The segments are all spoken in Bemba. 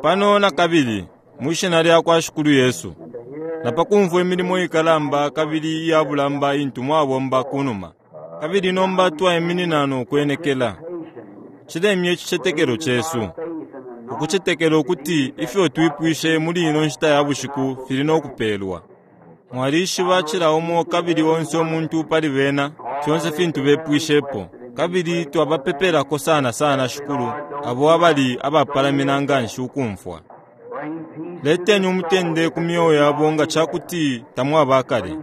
Pano nakabili, mwi Shina lyakwa Shikulu Yesu, na pa kumfwa imilimo ikalamba kabili iya bulamba intu mwabomba kunuma, kabili nomba twaiminina no kwenekela. Cilemye icicetekelo cesu, ukucetekela ukuti ifyo twipwishe muli ino nshita ya bushiku fili no kupelwa. Mwalishiba cila umo kabili onse umuntu pali bena, fyonse fintu bepwishepo. Kabili twabapepelako sana sana, Shikulu, abo abali abapalamina nganshi ukumfwa. Leteni umutende ku myeo yabo nga cakuti tamwaba akale.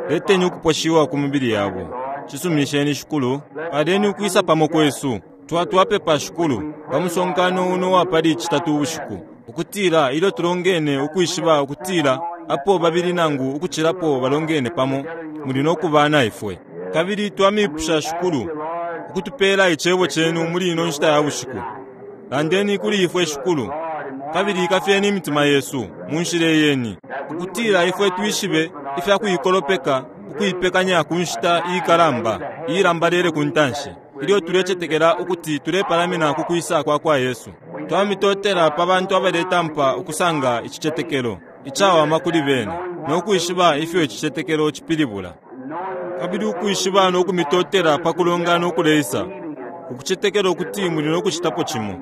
Leteni ukuposhiwa ku mibili yabo. Cisuminisheni, Shikulu. Paleni ukwisa pamo kwesu. Twa, twapepa, Shikulu, pa musonkano uno wa pali Citatu ubushiku, ukutila ilyo tulongene ukwishiba ukutila apo babili nangu ukucilapo balongene pamo, muli no kuba na ifwe. Kabili twamipusha, Shikulu, ukutupela Icebo Cenu muli ino nshita ya bushiku. Landeni kuli ifwe, Shikulu, kabili ikafyeni imitima yesu mu nshila iyeni, ukutila ifwe twishibe ifya kuikolopeka ukuipekanya ku nshita iikalamba iilambalele ku ntanshi, ilyo tulecetekela ukuti tulepalamina ku kwisa kwa kwa Yesu. Twamitotela pa bantu abaletampa ukusanga icicetekelo icawama kuli bena, no kwishiba ifyo icicetekelo cipilibula. Kabili ukwishiba no kumitotela pa kulongana ukuleisa, ukucetekela ukuti muli no kucitapo cimo.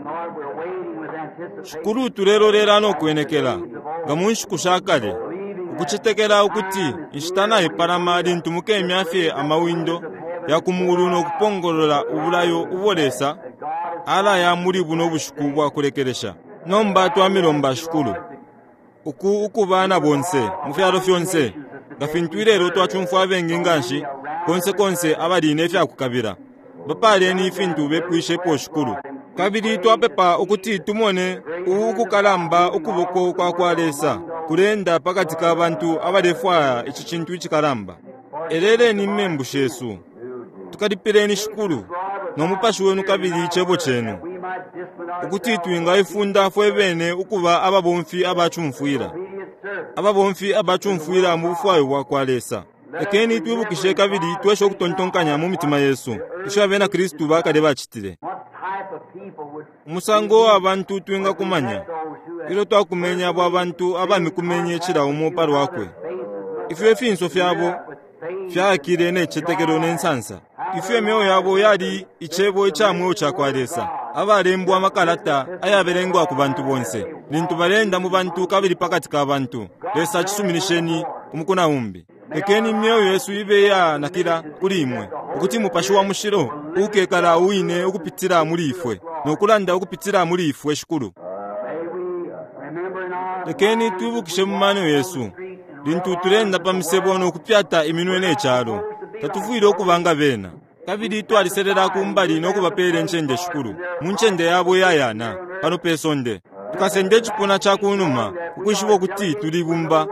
Shikulu, tulelolela no kwenekela, nga mu nshiku sha kale, ukucetekela ukuti inshita naipalama lintu mukemya fye amawindo ya ku muulu no kupongolola ubulayo ubo Lesa alaya muli buno bushiku bwa kulekelesha. Nomba twamilomba, Shikulu, uku ukuba na bonse mu fyalo fyonse, nga fintu ilelo twacumfwa abengi nganshi konse konse abali ne fya kukabila. Bapaaleni ifintu bepwishepo, Shikulu. Kabili twapepa ukuti tumone u ukukalamba ukuboko kwa kwa Lesa kuleenda pakati ka bantu abalefwaya ici cintu icikalamba. Eleleni imembu shesu. Tukalipileni, Shikulu, no Mupashi Wenu kabili Icebo Cenu, ukuti twingaifunda fwe bene ukuba ababomfi aba cumfwila, ababomfi aba cumfwila mu bufwayo bwa kwa Lesa. Lekeni twibukishe kabili tweshe ukutontonkanya mu mitima yesu ifyo Abena Kristu ba kale bacitile. Umusango wa bantu twingakumanya ilyo twakumenye abo abantu abamikumenye cila umo pa lwakwe, ifyo ifinso fyabo fyaakile ne citetekelo ne nsansa, ifyo imyeo yabo yali Icebo ica mweo ca kwa Lesa, abalembwa amakalata ayabelengwa ku bantu bonse, lintu baleenda mu bantu kabili pakati ka bantu. Lesa, cisuminisheni umuku na umbi. Lekeni imyeo yesu ibe iyanakila kuli Imwe, ukuti Mupashi wa Mushilo ukekala uwine ukupitila muli ifwe no kulanda ukupitila muli ifwe, Shikulu. Lekeni twibukishe mu mano yesu, lintu tuleenda pa misebo no kupyata iminwe ne calo, tatufwile ukuba nga bena. Kabili twaliselela ku mbali no kubapeela incende, Shikulu, mu ncende yabo iyayana pano pe sonde. Tukasenda icipuna ca ku numa, ukwishiba ukuti tuli ibumba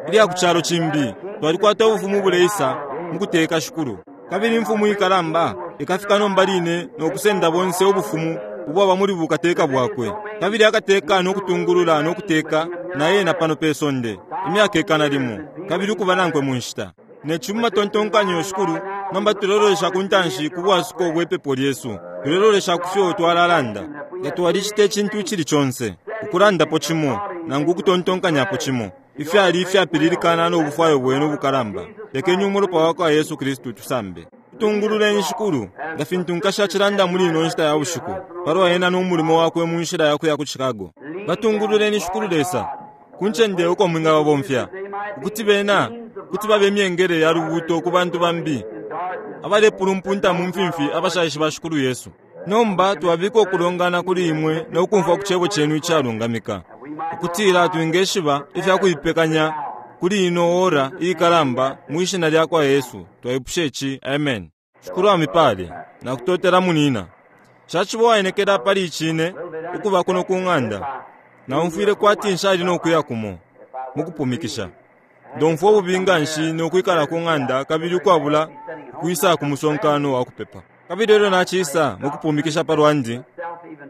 ilya ku calo cimbi. Twalikwata Ubufumu ubuleisa mu kuteka, Shikulu. Kabili Imfumu ikalamba ikafika nomba line no kusenda bonse ubufumu ubwaba muli bukateka bwakwe. Kabili akateka no kutungulula no kuteka na ena pano pe sonde imyaka ikana limo, kabili ukuba nankwe mu nshita. Ne ci mu matontonkanyo, Shikulu, nomba tulelolesha ku ntanshi ku bwasuko bwe pepo lyesu. Tulelolesha ku fyo twalalanda. Nga twalicita icintu icili conse, ukulandapo cimo, nangu ukutontonkanyapo cimo, ifyali ifyapililikana no bufwayo Bwenu ubukalamba, lekeni Umulopa wa kwa Yesu Kristu utusambe. Tungululeni, Shikulu, nga fintu nkashi acilanda muli ino nshita ya bushiku palwa ena no mulimo wakwe mu nshila ya kuya ku Chicago. Batungululeni, Shikulu Lesa, ku ncende uko mwingababomfya, ukuti bena kuti babe imyengele ya lubuuto ku bantu bambi abalepulumpunta mu mfimfi abashaishiba Shikulu Yesu. Nomba twabika ukulongana kuli Imwe no kumfwa ku Cebo Cenu icalungamika, ukutila twingeshiba ifya kuipekanya kuli ino ora iikalamba. Mwi Shina lyakwa Yesu twaipusha ici. Amen. Shikulu amipale. Nakutotela, munina. Nshaciba uwaenekela pali icine ukuba kuno ku ng'anda. Naumfwile kwati nshali no kuya kumo mukupumikisha. Ndomfwa ububi nganshi no kwikala ku ng'anda kabili ukwabula ukwisa ku musonkano wa kupepa. Kabili elyo nacisa mukupumikisha pa lwandi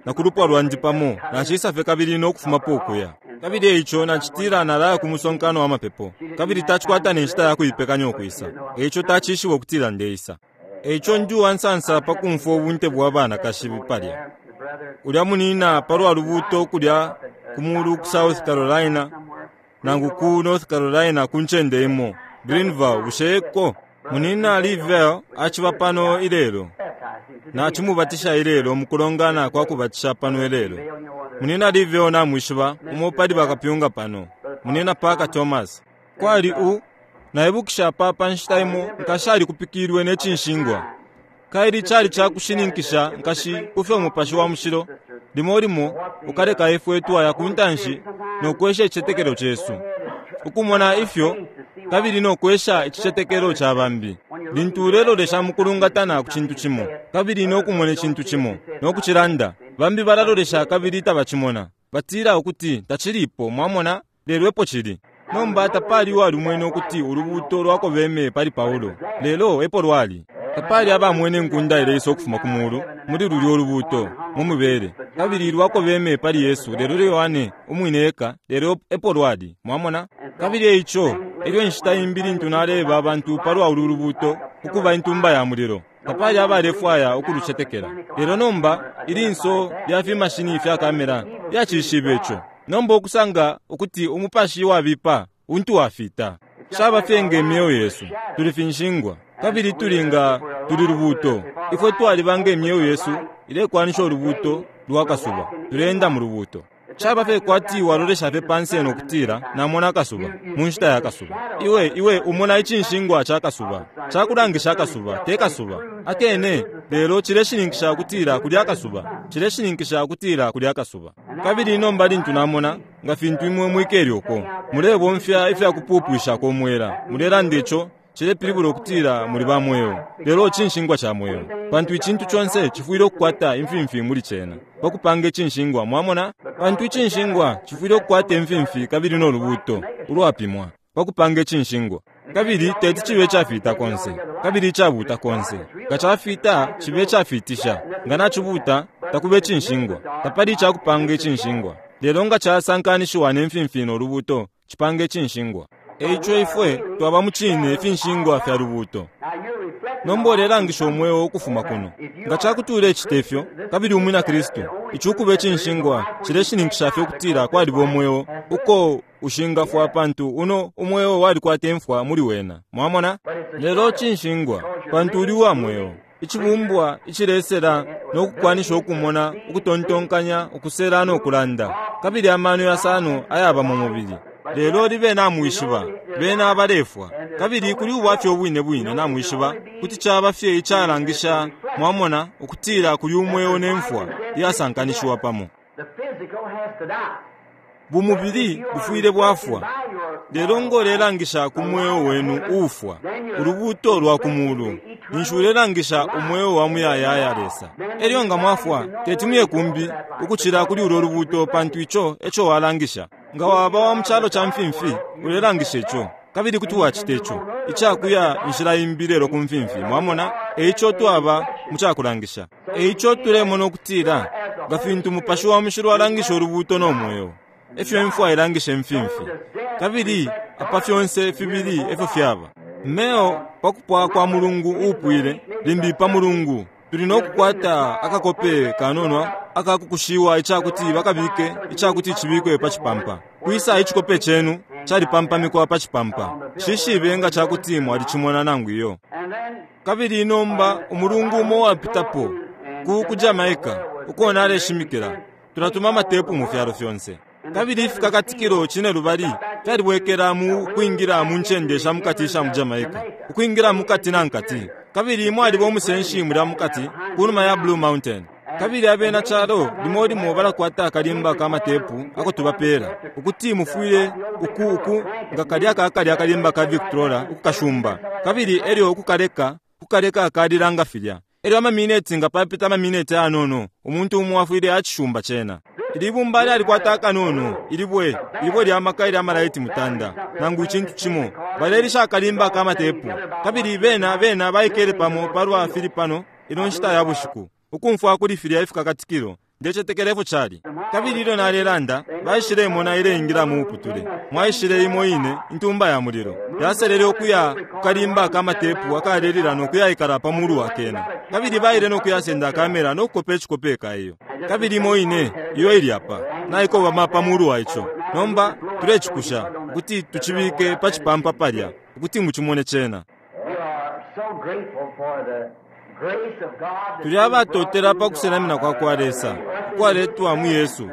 na ku lupwa lwandi pamo, nacisa fye kabili no kufumapo ukuya. Kabili eico nacitila nalaya ku musonkano wa mapepo, kabili tacikwata ne nshita ya kuipekanya ukwisa, eico tacishiba ukutila ndeisa. Eico ndi uwansansa pa kumfwa ubunte bwa banakashi palya. Ulya munina palwa lubuuto kulya ku mulu ku South Carolina, nangu ku North Carolina ku ncende imo, Greenville, bushe eko? Munina Lee aciba pano ilelo. Nacimubatisha ilelo mukulongana kwa kubatisha pano ilelo. Munina Lee namwishiba, umo pali bakapyunga pano. Munina Parker Thomas. Kwali u naibukisha pa pa nshita imo nkashi alikupikilwe ne cinshingwa. Kaili cali ca kushininkisha nkashi kufyo Mupashi wa Mushilo limo limo ukaleka ifwe twaya ku ntanshi no kwesha icicetekelo cesu, ukumona ifyo kabili no kwesha icicetekelo ca bambi. Lintu ulelolesha mukulungatana ku cintu cimo kabili no kumona icintu cimo no kucilanda, bambi balalolesha kabili tabacimona, batila ukuti tacilipo, mwamona, lelo epo cili. Nomba tapali uwalimwene ukuti ulubuuto lwakobeme pali Paulo, lelo epo lwali. Tapali abamwene inkunda ileisa ukufuma ku mulu muli lulyo ulubuuto mu mibele, kabili lwakobeme pali Yesu, lelo Yohane umwine eka, lelo epo lwali. Mwamona? Kabili eico elyo inshita imbi lintu naleeba abantu palwa ulu lubuuto ukuba intumba ya mulilo, tapali abalefwaya ukulucetekela. Lelo nomba ilinso lya fimashini fya kamera lyacishibe ico. Nomba ukusanga ukuti umupashi wabipa untu wafita. Caba fye nge myeo yesu, tuli finshingwa, kabili tuli nga tuli lubuuto. Ifwe twaliba nge myeo yesu ilekwanisha ulubuuto lwa kasuba, tuleenda mu lubuuto. Caba fye kwati walolesha fye pansi no kutila, namona akasuba mu nshita ya kasuba. Iwe, iwe umona icinshingwa ca kasuba, cakulangisha akasuba, te kasuba akene, lelo cileshininkisha ukutila kuli akasuba, cileshininkisha ukutila kuli akasuba. Kabili nomba lintu namona, nga fintu imwe mwikele uko, mulebomfya ifya kupupwishako umwela, mulelanda ico, cilepilibula ukutila muli ba mweo, lelo cinshingwa ca mweo, pantu icintu conse cifwile ukukwata imfimfi muli cena pa kupanga icinshingwa. Mwamona? Pantu icinshingwa cifwile ukukwata imfimfi kabili no lubuuto ulwapimwa pa kupanga icinshingwa, kabili teti cibe icafita konse kabili icabuuta konse. Nga cafita, cibe icafiitisha; nga nacibuuta, takuba icinshingwa, tapali icakupanga icinshingwa. Lelo nga casankanishiwa ne mfimfi no lubuuto, cipanga icinshingwa. Eico ifwe twaba mu cine ifinshingwa fya lubuuto. Nomba ulelangisha umweo ukufuma kuno. Nga cakuti ulecita ifyo, kabili umwina Kristu, ici ukuba icinshingwa cileshininkisha fye ukutila kwaliba umweo uko ushingafwa, pantu uno umweo walikwata imfwa muli wena. Mwamona? Lelo cinshingwa, pantu uli uwa mweo, icibumbwa icilesela no kukwanisha ukumona, ukutontonkanya, ukusela no kulanda, kabili amano yasano ayaba mu mubili. Lelo libe namwishiba, bena abalefwa, kabili kuli ubwafya ubwine bwine namwishiba, kuti caba fye icalangisha, mwamona, ukutila kuli umweo ne mfwa iyasankanishiwa pamo. Bumubili bufwile bwafwa, lelo ngo ulelangisha ku mweo wenu uufwa, ulubuuto lwa ku mulu, ninshi ulelangisha umweo wa muyayaya Lesa. Elyo nga mwafwa, teti muye kumbi ukucila kuli ulo lubuuto, pantu ico eco walangisha. Nga waba wa mu calo ca mfimfi, ulelangisha ico, kabili kuti wacita ico icakuya inshila imbi lelo ku mfimfi. Mwamona? Eico twaba mu cakulangisha. Eico tulemona ukutila nga fintu Mupashi wa Mushilo alangisha ulubuuto no mweo, efyo imfwa ilangisha imfimfi, kabili apa fyonse fibili efyo fyaba. Meo pa kupwa kwa mulungu uupwile, limbi pa mulungu, tuli no kukwata akakope kanono akakukushiwa icakuti bakabike icakuti cibikwe pa cipampa. Kwisa icikope cenu calipampamikwa pa cipampa. Nshishibe nga cakuti mwalicimona nangu iyo. Kabili nomba umulungu umo wapitapo ku ku Jamaica uko naleshimikila, tulatuma amatepu mu fyalo fyonse. Kabili ifikakatikilo cinelubali fyalibwekela mu kwingila mu ncende sha mukati isha mu Jamaica, ukwingila mukati na nkati. Kabili mwaliba umusenshi mulya mukati kunuma ya Blue Mountain. Kabili abena calo limo limo balakwata akalimba ka matepu ako tubapeela, ukuti mufwile uku uku nga kalya kakalya akalimba ka Victrola ukukashumba, kabili elyo ukukaleka kukaleka kalila nga filya. Elyo amamineti nga papita amamineti ayanono, umuntu umo afwile acishumba cena. Ili ibumba lyalikwata akanono, ilibwe, ilibwe lya maka ilya malaiti mutanda, nangu icintu cimo. Balelisha akalimba ka matepu. Kabili bena, bena baikele pamo palwa fili pano ino nshita ya bushiku, ukumfwa kuli filya ifikakatikilo. Ndecetekela efyo cali. Kabili ilyo nalelanda, baishilemona ileingila mu muputule. Mwaishile imo ine Intumba ya Mulilo. Yaselele ukuya ku kalimba ka matepu akalelila no kuyaikala pa mulu wa kena. Kabili baile no kuyasenda kamera no kukopa icikope ka iyo. Kabili imo ine, iyo ili apa, naikobama pa mulu wa ico. Nomba tulecikusha, ukuti tucibike pa cipampa palya, ukuti mucimone cena. We are so grateful for the grace of God Tuli abatotela pa kusenamina kwa kwa Lesa ukwaletwa mu Yesu,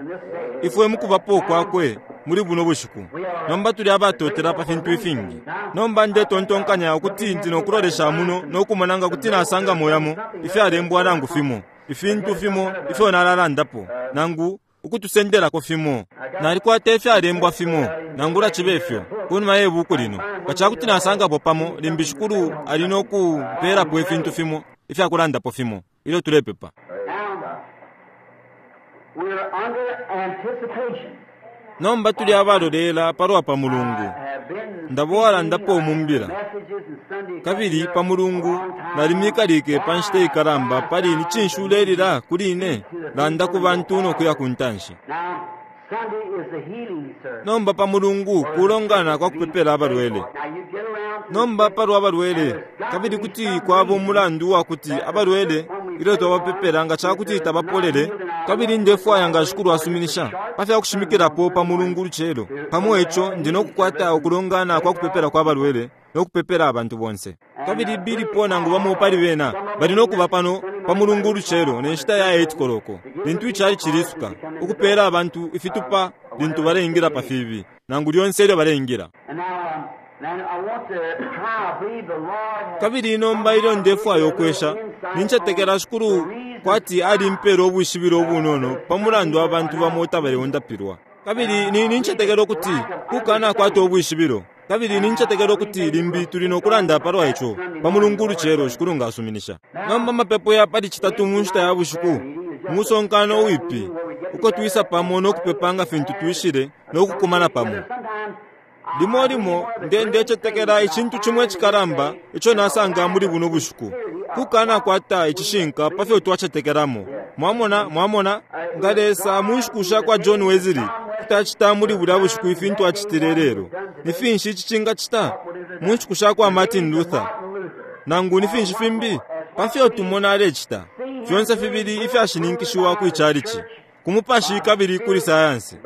ifwe mukubapo kwakwe muli buno bushiku. Nomba tuli abatotela pa fintu ifingi. Nomba ndetontonkanya ukuti ndi nokulolesha muno no kumona nga kuti nasangamo yamo ifyalembwa nangu fimo, ifintu fimo ifyo nalalandapo, nangu ukutusendelako fimo. Nalikwata ifyalembwa fimo, nangula cibe fyo, kunuma ye buku lino. Nga cakuti nasangapo pamo, limbi Shikulu ali no kumpelapo ifintu fimo ifyakulandapo fimo ilyo tulepepa. Now, we're under anticipation. Nomba tuli abalolela palwa pa Mulungu. Have been Ndabo walandapo mu mbila. messages and Sunday Kabili pa Mulungu nalimikalike pa nshita ikalamba pali ni cinshi ulelila kuli ine, landa ku bantu no kuya ku ntanshi. Now, Sunday is the healing service. Nomba pa Mulungu kulongana kwa kupepela abalwele. Now you get around to Nomba palwa abalwele, kabili kuti kwaba umulandu wa kuti abalwele ilyo twabapepela nga cakuti tabapolele, kabili ndefwaya nga Shikulu asuminisha pa fya kushimikilapo pa Mulungu lucelo. Pamo ico ndi no kukwata ukulongana kwa kupepela kwa balwele no kupepela abantu bonse. Kabili bilipo nangu bamo pali bena bali no kuba pano pa Mulungu lucelo ne nshita ya 8 koloko, lintu icali cilisuka, ukupeela abantu ifitupa lintu baleingila pa fibi, nangu lyonse ilyo baleingila. And now, now I want to try, I believe the Lord has Kabili nomba ilyo ndefwaya ukwesha, nincetekela Shikulu kwati alimpela ubwishibilo ubunono pa mulandu abantu bamo tabaleundapilwa. Kabili ni nincetekela ukuti kukanakwata ubwishibilo. Kabili nincetekela ukuti limbi tuli no kulanda palwa ico pa Mulungu ulucelo, Shikulu nga asuminisha. Nomba amapepo ya pali Citatu mu nshita ya bushiku, musonkano uwipi, uko twisa pamo no kupepa nga fintu twishile no kukumana pamo. sometimes Limo limo nde ndecetekela icintu cimo icikalamba ico nasanga muli buno bushiku, kukanakwata icishinka pa fyo twacetekelamo. Mwamona, mwamona, nga Lesa mu nshiku sha kwa John Wesley kuti acita muli bulya bushiku ifintu acitile lelo, ni finshi ici cingacita mu nshiku sha kwa Martin Luther, nangu ni finshi fimbi pa fyo tumona alecita, fyonse fibili ifyashininkishiwa kwi calici, ku mupashi kabili kuli sayansi.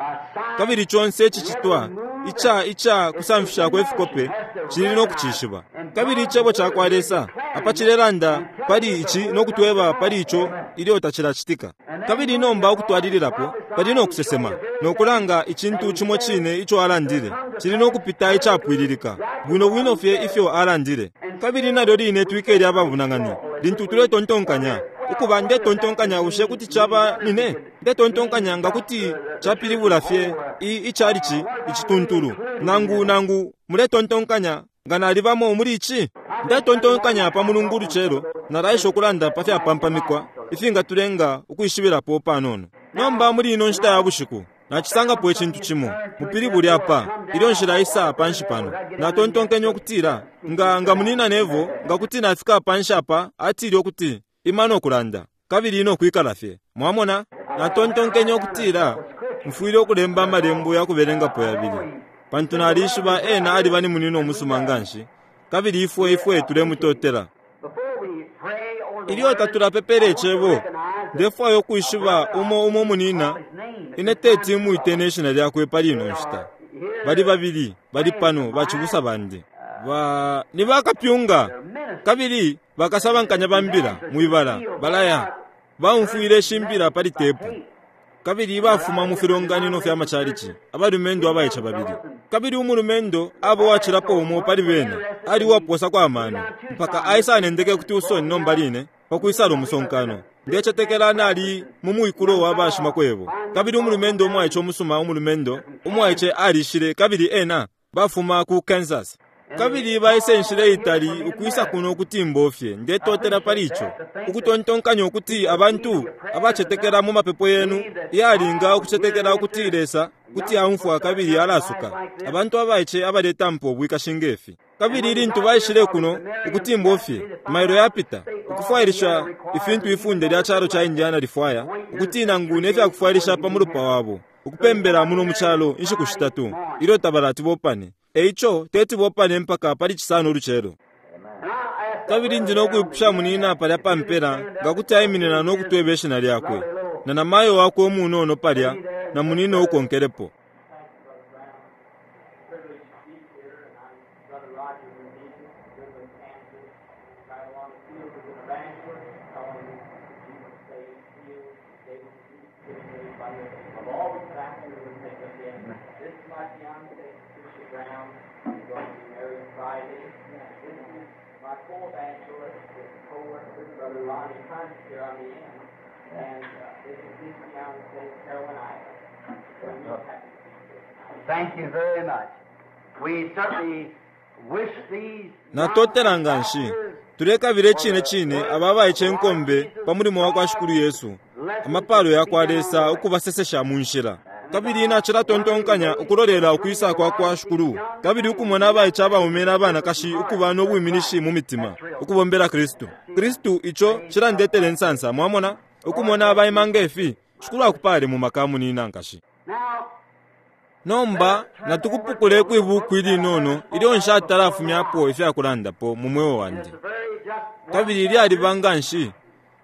Kabili conse icicitwa ica ica kusamfishako ifikope cili no kucishiba. Kabili icebo ca kwa Lesa apa cilelanda pali ici no kutweba pali ico ilyo tacilacitika. Kabili nomba ukutwalililapo pali no kusesema no kulanga icintu cimo cine ico alandile cili no kupita icapwililika bwino bwino fye ifyo alandile. Kabili nalyo line twikele ababunang'ani lintu tuletontonkanya ukuba ndetontonkanya bushe kuti caba nine ndetontonkanya nga kuti capilibula fye icalici icituntulu, nangu nangu muletontonkanya nga nalibamo muli ici. Ndetontonkanya pa Mulungu ulucelo nalaisha ukulanda pa fyapampamikwa ifingatulenga ukwishibilapo panono. Nomba muli ino nshita ya bushiku nacisangapo icintu cimo mupilibuli apa ilyo nshilaisa panshi pano. Natontonkenye ukutila nga nga munina Nevo nga kuti nafika panshi apa, atile ukuti ima no kulanda kabili no kwikala fye. Mwamona, natontonkenye ukutila mfwile ukulemba amalembo ya kubelengapo yabili, pantu nalishiba ena aliba ni munina umusuma nganshi, kabili ifwe ifwe tulemutotela. before we pray over the Ilyo word, tatulapepela icebo, ndefwaya ukwishiba umo umo munina ine teti mwite ne shina lyakwe pali ino nshita. Bali babili bali pano bacibusa bandi ba ni bakapyunga kabili bakasabankanya ba mbila mwibala balaya baumfwile shimbila pali tepu, kabili bafuma mu filonganino fya macalici, abalumendo abaica babili. Kabili umulumendo abo wacilapo umo pali bena ali uwaposa amano mpaka aisanendeke kuti usoni nomba line pakwisala umusonkano. Ndecetekela nali mu mwikulo wa bashimakwebo. Kabili umulumendo umwaice umusuma, umulumendo umwaice alishile, kabili ena bafuma ku Kansas. Kabili baise inshila itali ukwisa kuno ukuti mbofye. Ndetotela pali ico, ukutontonkanya ukuti abantu abacetekela mu mapepo yenu yalinga ukucetekela ukuti Lesa kuti aumfwa kabili alasuka abantu abaice abaletampa ubwikashi ngefi. Kabili lintu baishile kuno ukuti fye mailo yapita ukufwailisha ifintu ifunde lya calo ca Indiana lifwaya ukuti nangu ne fyakufwailisha pa mulupa wabo ukupembela muno mu calo inshiku shitatu ilyo tabalati bopane. Eico teti bopane mpaka pali Cisano ulucelo. Kabili ndi nokwipusha munina palya pa mpela nga kuti aiminina no kutweba ishina lyakwe, na namayo wakwe umunono palya, na munina ukonkelepo. Privileged to be here, and I'm Brother Roger Van Goodland, Kansas, right along the field as an evangelist, telling Jesus saved, healed, gave peace, by the, of all the factors that take us in. This is my fiancée, Patricia Brown. We're going to be married Friday. This is my co-evangelist, with co-worker, Brother Ronnie Hunt, here on the end. And this is his fiancée, Carolyn Ivers. So we're happy to be here. Thank you very much. We certainly wish these Natotela nga nshi. Tulekabila icine cine aba abaice inkombe pa mulimo wa kwa Shikulu Yesu, amapalo ya kwa Lesa ukubasesesha mu nshila. Kabili nacilatontonkanya ukulolela ukwisa kwa kwa Shikulu, kabili ukumona abaice abaume na abanakashi ukuba no bwiminishi mu mitima, ukubombela Kristu. Kristu ico cilandetela insansa, mwamona? Ukumona abaima nge fi, Shikulu akupale mu maka munina nkashi. Now, Nomba natukupukule kwibuku ilinono ilyo nshatalafumyapo ifyakulandapo mu mweo wandi. it's very just Kabili lyaliba nga nshi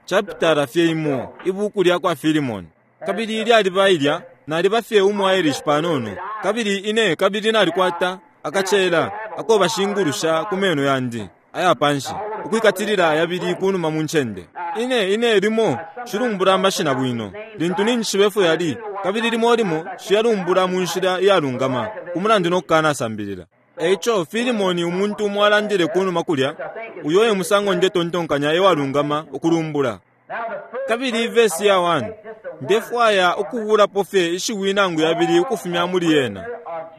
chapitala fye imo ibuku lya kwa Filimoni. Kabili lyaliba ilya naliba fye umu Irish panono. Kabili ine kabili nalikwata akacela ako bashingulusha ku meno yandi aya panshi ukwikatilila yabili kunuma mu ncende. Ine ine limo shilumbula amashina bwino lintu ninjishiba efyo yali, kabili limo limo shiyalumbula mu nshila iyalungama ku mulandu no kukanasambilila. Eico Filimoni umuntu umo alandile kunuma kulya, uyo e musango ndetontonkanya ewalungama ukulumbula. Now the first Kabili vesi ya 1, ndefwaya ukubulapo fye ishiwi nangu yabili ukufumya muli yena.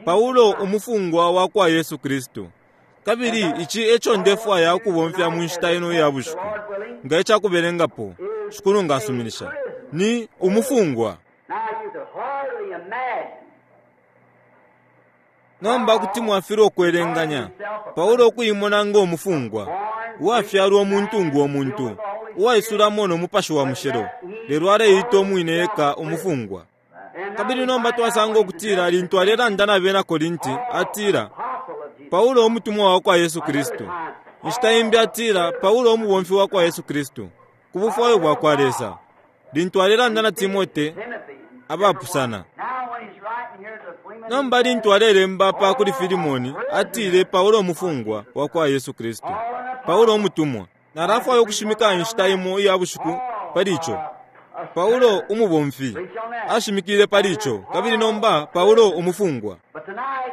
Paulo umufungwa wa kwa Yesu Kristu. Kabili ici eco ndefwaya ukubomfya mu nshita ino iya bushiku. Nga icakubelengapo, Shikulu ngasuminisha. Ni umufungwa. Now you could hardly imagine Nomba kuti mwafilwa ukwelenganya Paulo ukuimona ngo mufungwa, uwafyalwa umuntu ngo muntu, uwaisulamo no mupashi wa mushilo, lelo aleita umwine eka umufungwa. And Kabili nomba twasanga ukutila lintu alelanda na bena Korinti, atila apostle of Jesus. Paulo umutumwa wa kwa Yesu Kristu. Inshita imbi atila Paulo umubomfi wa kwa Yesu Kristu, ku bufwayo bwa kwa Lesa. Lintu alelanda na Timote, Timothy. abapusana. Now when he's writing here to Philemon, Nomba lintu alelemba pa kuli Filimoni, atile Paulo umufungwa wa kwa Yesu Kristu. Paulo umutumwa. Nalafwaya ukushimika inshita imo iya bushiku pali ico. Paulo umubomfi ashimikile pali ico, kabili nomba Paulo umufungwa. but tonight,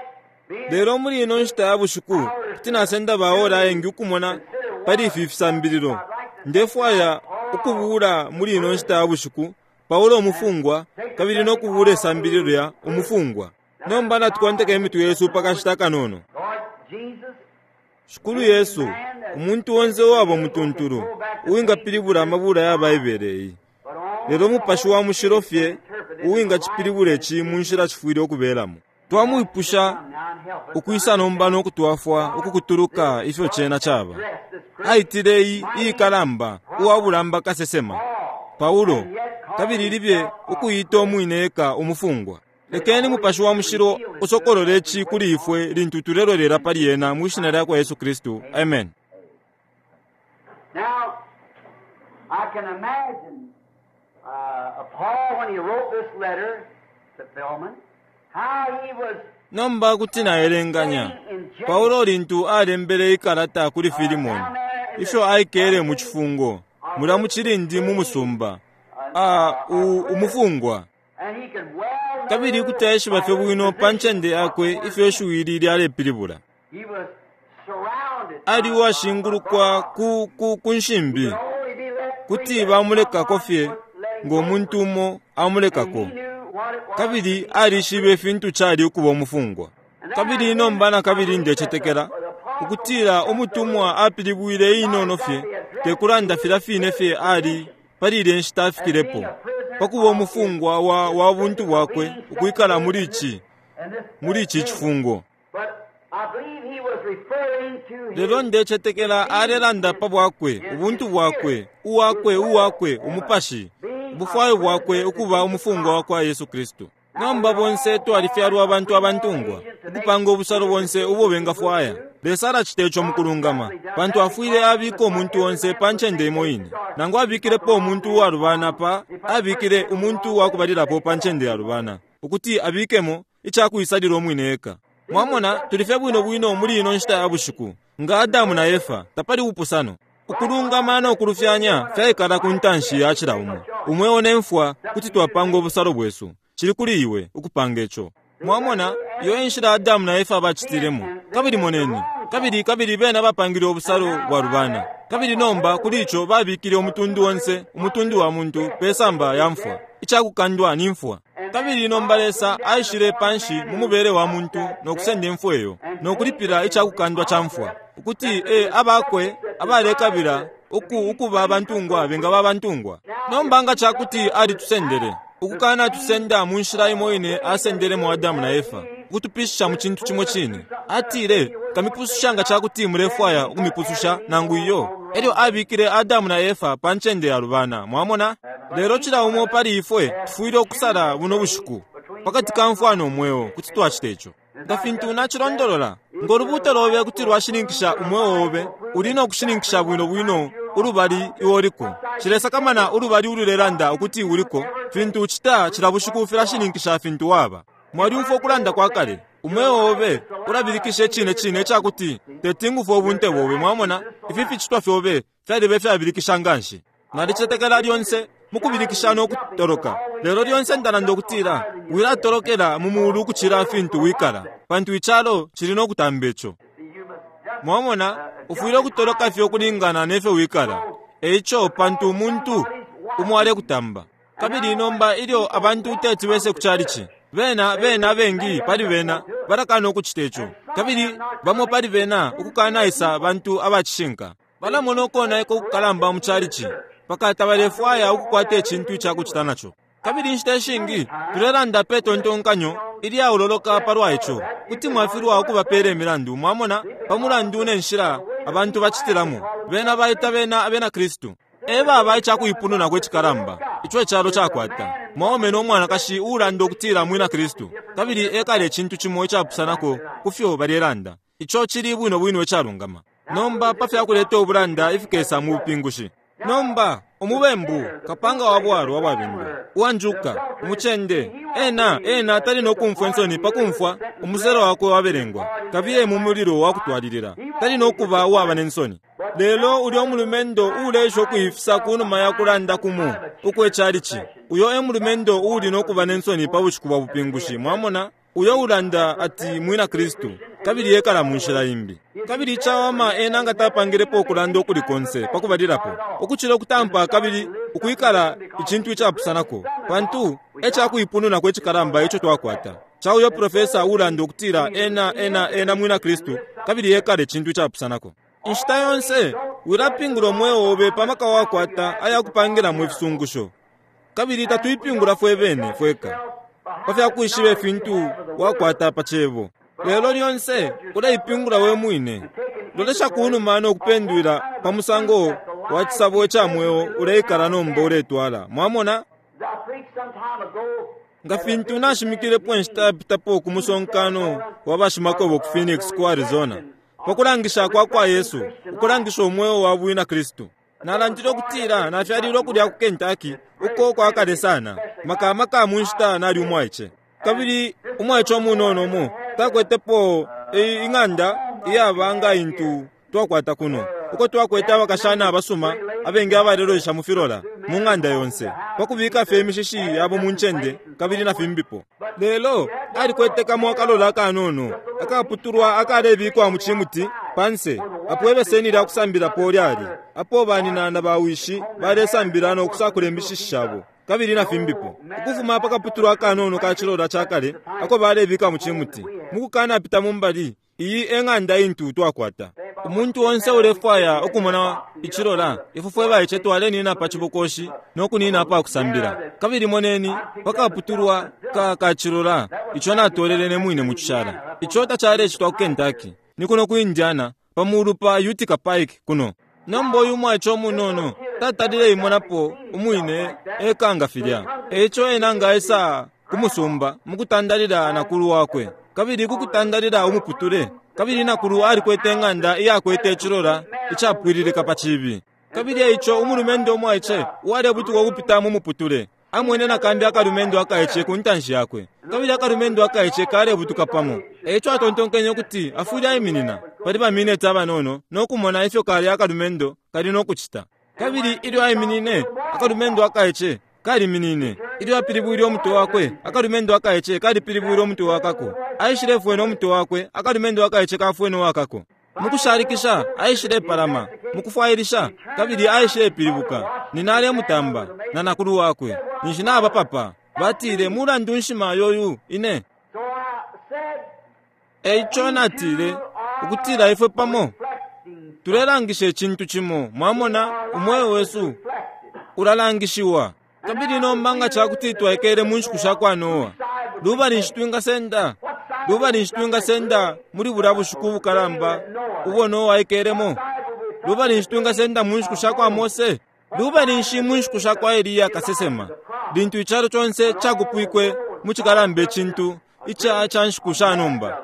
being Lelo muli ino nshita ya bushiku, kuti nasenda baola ayengi ukumona pali ifi fisambililo. Ndefwaya ukubula muli ino nshita ya bushiku Paulo umufungwa, kabili no kubula isambililo lya umufungwa. Nomba natukonteka imitwe yesu pakashita kanono. Lord Jesus, Shikulu Yesu, umuntu onse uwaba umutuntulu, uwingapilibula amabula ya Baibele iyi. but only Lelo umupashi wa mushilo fye uwingacipilibula ici mu nshila cifwile ukubelamo. Twamwipusha now and help us ukwisa nomba no kutwafwa ukukutuluka ifyo cena caba. dress this great Aitile iyi iyikalamba uwabulamba kasesema Paulo, kabili libye ukuita umwine eka umufungwa. Lekeni mupashi wa mushilo usokolole ici kuli ifwe lintu tulelolela pali ena mwi shina lya kwa Yesu Kristu. Amen. Now, I can imagine Paul when he wrote this letter to Philemon, how he was Nomba kuti naelenganya Paulo lintu alembele ikalata kuli Filimoni, ifyo aikele mu cifungo mulya mu cilindi mu musumba, umufungwa. and he could well Kabili kuti aishiba fye bwino pa ncende yakwe ifyo ishiwi ili lyalepilibula. he was surrounded Ali uwashingulukwa ku, ku, ku nshimbi, only be let kuti bamulekako fye ngo muntu umo amulekako. he knew what it was Kabili alishibe ifintu cali ukuba umufungwa. Kabili nomba na kabili ndecetekela ukutila umutumwa apilibwile inono fye tekulanda filya fine fye ali pali ilya nshita afikilepo pakuba umufungwa wa, wa buntu bwakwe ukwikala muli ici and this muli ici cifungo. but I believe he was referring to his Lelo ndecetekela alelanda pa bwakwe, ubuntu bwakwe, uwakwe, uwakwe, umupashi, ubufwayo bwakwe ukuba umufungwa wa kwa Yesu Kristu. Nomba bonse twalifyalwa abantu abantungwa, ukupanga ubusalo bonse ubo bengafwaya. Lesa alacita ico mukulungama, pantu afwile abika umuntu onse pa ncende imo ine. Nangu abikilepo umuntu uwalubana pa, abikile umuntu wakubalilapo pa ncende yalubana, ukuti abikemo icakuisalila umwine eka. Mwamona, tuli fye bwino bwino muli ino nshita ya bushiku, nga Adamu na Efa, tapali ubupusano. Ukulungama no kulufyanya fyaikala ku ntanshi ya cila umo. Umweo ne mfwa kuti twapanga ubusalo bwesu. Cili kuli iwe ukupanga ico. Mwamona, iyo e nshila Adamu na Efa bacitilemo. Kabili moneni, kabili, kabili bena bapangile ubusalo bwalubana. Kabili nomba kuli ico babikile umutundu onse, umutundu wa muntu, pe samba ya mfwa. Icakukandwa ni mfwa. Kabili nomba Lesa aishile panshi mu mubele wa muntu no kusenda imfwa iyo, no kulipila icakukandwa ca mfwa, ukuti e abakwe abalekabila uku ukuba abantungwa bengaba abantungwa. Nomba nga cakuti alitusendele, ukukana tusenda mu nshila imo ine asendelemo Adamu na Efa, ukutupishisha mu cintu cimo cine. Atile, Nkamipususha nga cakuti mulefwaya ukumipususha nangu iyo. Elyo abikile Adamu na Efa pa ncende yalubana. Mwamona? Lelo cila umo pali ifwe tufwile ukusala buno bushiku pakati ka mfwa no mweo. Kuti twacita ico nga fintu nacilondolola. Ngo lubuuto lobe kuti lwashininkisha umweo obe, uli no kushininkisha bwino bwino ulubali iwe uliko. Nshilesakamana ulubali ululelanda ukuti uliko, fintu ucita cila bushiku filashininkisha fintu waba. Mwalyumfwa ukulanda kwa kale, umweo obe ulabilikisha icine cine ica kuti teti ngufwe ubunte bobe. Mwamona, ifi ficitwa fyobe fyaliba ifyabilikisha nganshi. Nalicetekela lyonse mukubilikisha no kutoloka, lelo lyonse ndalanda ukutila wilatolokela mu mulu ukucila fintu wikala, pantu icalo cili no kutamba ico. Mwamona, ufwile ukutoloka fye ukulingana ne fyo wikala. E ico, pantu umuntu umo alekutamba. Kabili nomba ilyo abantu teti bese ku chalichi, bena, bena abengi pali bena balakana ukucita ico. Kabili bamo pali bena ukukanaisa bantu abacishinka. Balamona ukonaika ukukalamba mu chalichi, mpaka tabalefwaya ukukwata icintu icakucita naco. Kabili inshita ishingi tulelanda pe tontonkanyo ilyaololoka palwa ico, kuti mwafilwa ukubapela imilandu, mwamona, pa mulandu ne nshila abantu bacitilamo. Bena baita bena abena Kristu. E baba icakuipununako icikalamba ico icalo cakwata, mwaume no mwanakashi uulanda ukutila mwina Kristu, kabili ekala icintu cimo icapusanako ku fyo balelanda. Ico cili bwino bwino icalungama. Nomba pa fya kuleta ubulanda ifikesa mu bupingushi. Nomba, umubembu, kapanga wa bwalwa bwabindwa, uwanjuka, umucende, ena, ena tali no kumfwa insoni pa kumfwa umuselo wakwe wabelengwa, kabiye mu mulilo wa kutwalilila. Tali no kuba uwaba ne nsoni. Lelo ulyo mulumendo uulesha ukuifisa ku numa ya kulanda kumo ukwe chalichi, uyo e mulumendo uuli no kuba ne nsoni pa bushiku bwa bupingushi. Mwamona? Uyo ulanda ati mwina Kristu, kabili ekala mu nshila imbi. Kabili icawama ena nga tapangilepo ukulanda ukuli konse pa kubalilapo, ukucila ukutampa kabili ukwikala icintu icapusanako, pantu e cakuipununako icikalamba ico twakwata, ca uyo profesa uulanda ukutila ena, ena, ena mwina Kristu, kabili ekala icintu icapusanako. Inshita yonse, wilapingula umweo obe pa maka wakwata aya kupangilamo ifisungusho. Kabili tatuipingula fwe bene fweka pa fya kwishiba ifintu wakwata pa Cebo. Lelo lyonse uleipingula we mwine. Lolesha ku numa no kupendwila pa musango wa cisabo ica mweo uleikala nomba uletwala. Mwamona? Nga fintu nashimikilepo inshita yapitapo ku musonkano wa bashimakwebo ku Phoenix, ku Arizona, pa kulangisha kwa kwa Yesu, ukulangisha umweo wa bwina Kristu. Nalandile ukutila nafyalilwe kulya ku Kentucky, uko kwa kale sana, maka maka mu nshita nali umwaice. Kabili umwaice umunono umo takwetepo ing'anda iyaba nga intu twakwata kuno, uko twakwete abakashana abasuma abengi abalelolesha mu filola mu ng'anda yonse, pa kubika fye imishishi yabo mu ncende kabili na fimbipo. Lelo alikwete kamo akalola akanono akaputulwa akalebikwa mu cimuti panse apo ibeseni lya kusambilapo lyali, apo banina na bawishi balesambila no kusakula imishishi shabo kabili na fimbipo, ukufuma pa kaputulwa akanono ka cilola ca kale ako balebika mu cimuti. Mukukanapita mu mbali, iyi e ng'anda intu twakwata. Umuntu onse ulefwaya ukumona icilola, ifwe fwe baice twalenina pa cibokoshi no kunina apa kusambila. Kabili moneni pa kaputulwa ka ka cilola ico natolele ne mwine mu cishala. Ico tacalecitwa ku Kentucky. Ni kuno ku Indiana, pa mulu pa Utica Pike kuno. Nomba uyu mwaice umunono tatalile imonapo umwine eka nga filya. Eico ena nga aisa ku musumba mukutandalila nakulu wakwe, kabili kukutandalila umuputule, kabili nakulu alikwete ing'anda iyakwete icilola icapwililika pa cibi. Kabili eico umulumendo umwaice uwalebutuka ukupita mu muputule amwene nakambi akalumendo akaice ku ntanshi yakwe, kabili akalumendo akaice kalebutuka pamo. Eico atontonkenye ukuti afwile aiminina pali ba mineti abanono no kumona ifyo kalya akalumendo kali no kucita. Kabili ilyo aiminine, akalumendo akaice kaliminine. Ilyo apilibwile umutwe wakwe, akalumendo akaice kalipilibwile umutwe wakako. Aishilefwena umutwe wakwe, akalumendo akaice kafwene uwakako. Mukushalikisha aishilepalama mukufwailisha, kabili aishilepilibuka. Nina alemutamba, na nakulu wakwe, ninshi nabapapa. Batile, Mulandu nshi mayo uyu ine? E ico natile, ukutila ifwe pamo tulelangisha icintu cimo, mwamona, umweo wesu ulalangishiwa. Kabili nomba nga ca kuti twaikele mu nshiku sha kwa Noa, lubali nshi twingasenda? Lubali nshi twingasenda muli bulya bushiku ubukalamba ubo Noa aikelemo? Lubali nshi twingasenda mu nshiku sha kwa Mose? Lubali nshi mu nshiku sha kwa Eliya kasesema, lintu icalo conse cakupwikwe mu cikalamba icintu ica ca nshiku sha nomba,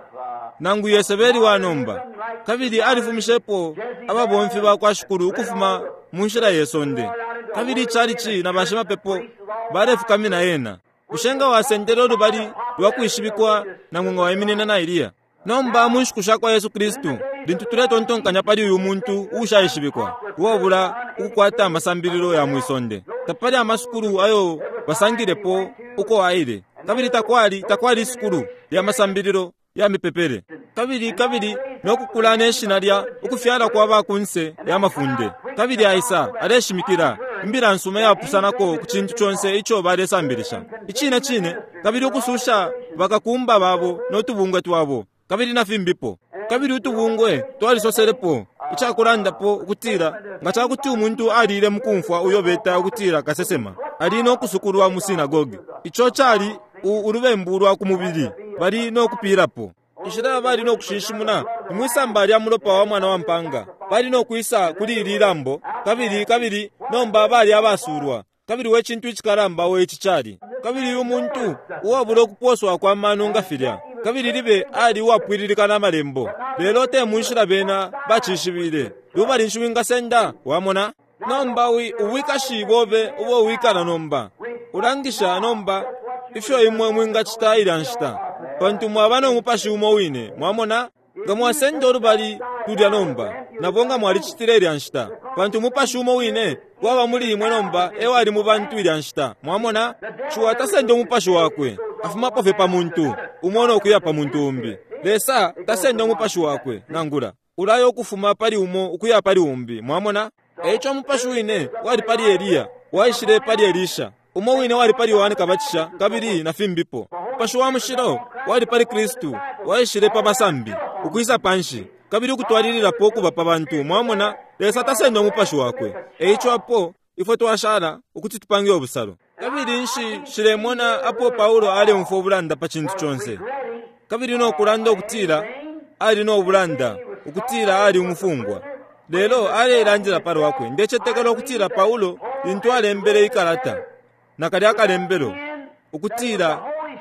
nangu Yesebeli wa nomba, kabili alifumishepo ababomfi ba kwa Shikulu ukufuma mu nshila ye sonde, kabili icalici na bashimapepo balefukamina ena? Bushe nga wasendele ulubali lwa kwishibikwa nangu nga waiminina na Eliya? Nomba mu nshiku sha kwa Yesu Kristu, lintu tuletontonkanya pali uyu muntu uushaishibikwa, uwabula ukukwata amasambililo ya mwi sonde, tapali amasukulu ayo basangilepo uko aile, kabili takwali, takwali isukulu lya masambililo ya mipepele, kabili, kabili no kukula ne shina lya ukufyala kwa ba kunse ya mafunde, kabili aisa aleshimikila imbila nsuma iyapusanako ku cintu conse ico balesambilisha. Icine cine, kabili ukususha bakakumba babo no tubungwe twabo, kabili na fimbipo. Kabili utubungwe twalisoselepo icakulandapo ukutila nga ca kuti umuntu aliile mu kumfwa uyo beta ukutila kasesema, ali no kusukulwa mu sinagoge. Ico cali u, ulubembu lwa ku mubili, bali no kupilapo. Inshila bali no kushinshimuna ni mwi samba lya mulopa wa Mwana wa mpaanga. Bali no kwisa kuli ili lambo, kabili, kabili nomba bali abasulwa. Kabili we cintu icikalamba we ici cali! Kabili uyu muntu uwabula ukuposwa kwa mano nga filya, kabili libe ali uwapwililika na Malembo, lelo te munshila bena bacishibile. Lubali nshi wingasenda? Wamona? Nomba wi, ubwikashi bobe ubo wikala nomba, ulangisha nomba ifyo imwe mwingacita ilya nshita, pantu mwaba no mupashi umo wine. Mwamona? Nga mwasenda ulubali lulya nomba, nabo nga mwalicitile ilya nshita, pantu umupashi umo wine waba muli imwe nomba e wali mu bantu ilya nshita. Mwamona? Ciwa tasenda umupashi wakwe, afumapo fye pa muntu umo no kuya pa muntu umbi. Lesa tasenda umupashi wakwe, nangula. Ulaya ukufuma pali umo ukuya pali umbi. Mwamona? E ico umupashi wine wali pali Eliya waishile pali Elisha, umo wine wali pali Yohane Kabatisha, kabili na fimbipo. Mupashi wa Mushilo wali pali Kristu waishile pa basambi, ukwisa panshi, kabili ukutwalililapo ukuba pa bantu. Mwamona? Lesa tasenda Umupashi Wakwe. E ico apo ifwe twashala ukuti tupange ubusalo. Kabili nshi, nshilemona apo Paulo aleumfwa ubulanda pa cintu conse, kabili no kulanda ukutila ali no bulanda ukutila ali umufungwa. Lelo aleilandila pa lwakwe. Ndecetekela ukutila Paulo, lintu alembele ikalata, na kalya kalembelo, ukutila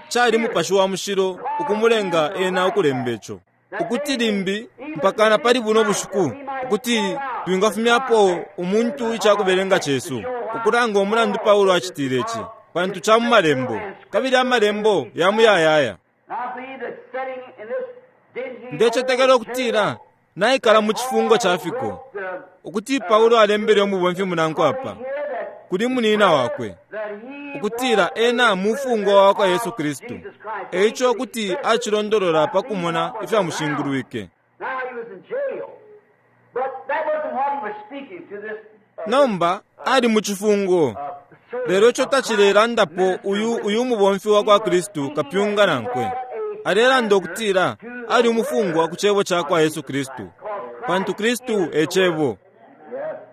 cali Mupashi wa Mushilo ukumulenga ena ukulemba ico, ukuti limbi mpaka na pali buno bushiku, ukuti twingafumyapo umuntu icakubelenga cesu, ukulanga umulandu Paulo acitile ici, pantu ca mu Malembo, kabili Amalembo ya muyayaya. Ndecetekela ukutila naikala mu cifungo ca fiko, ukuti Paulo alembele umubomfi munankwe apa, kuli munina wakwe, ukutila ena mufungwa wa kwa Yesu Kristu. E ico kuti acilondolola pa kumona ifyamushingulwike. Nomba ali mu cifungo, lelo ico tacilelandapo uyu, uyu mubomfi wa kwa Kristu kapyunga nankwe. Alelanda ukutila ali umufungwa ku Cebo ca kwa Yesu Kristu, pantu Kristu e Cebo.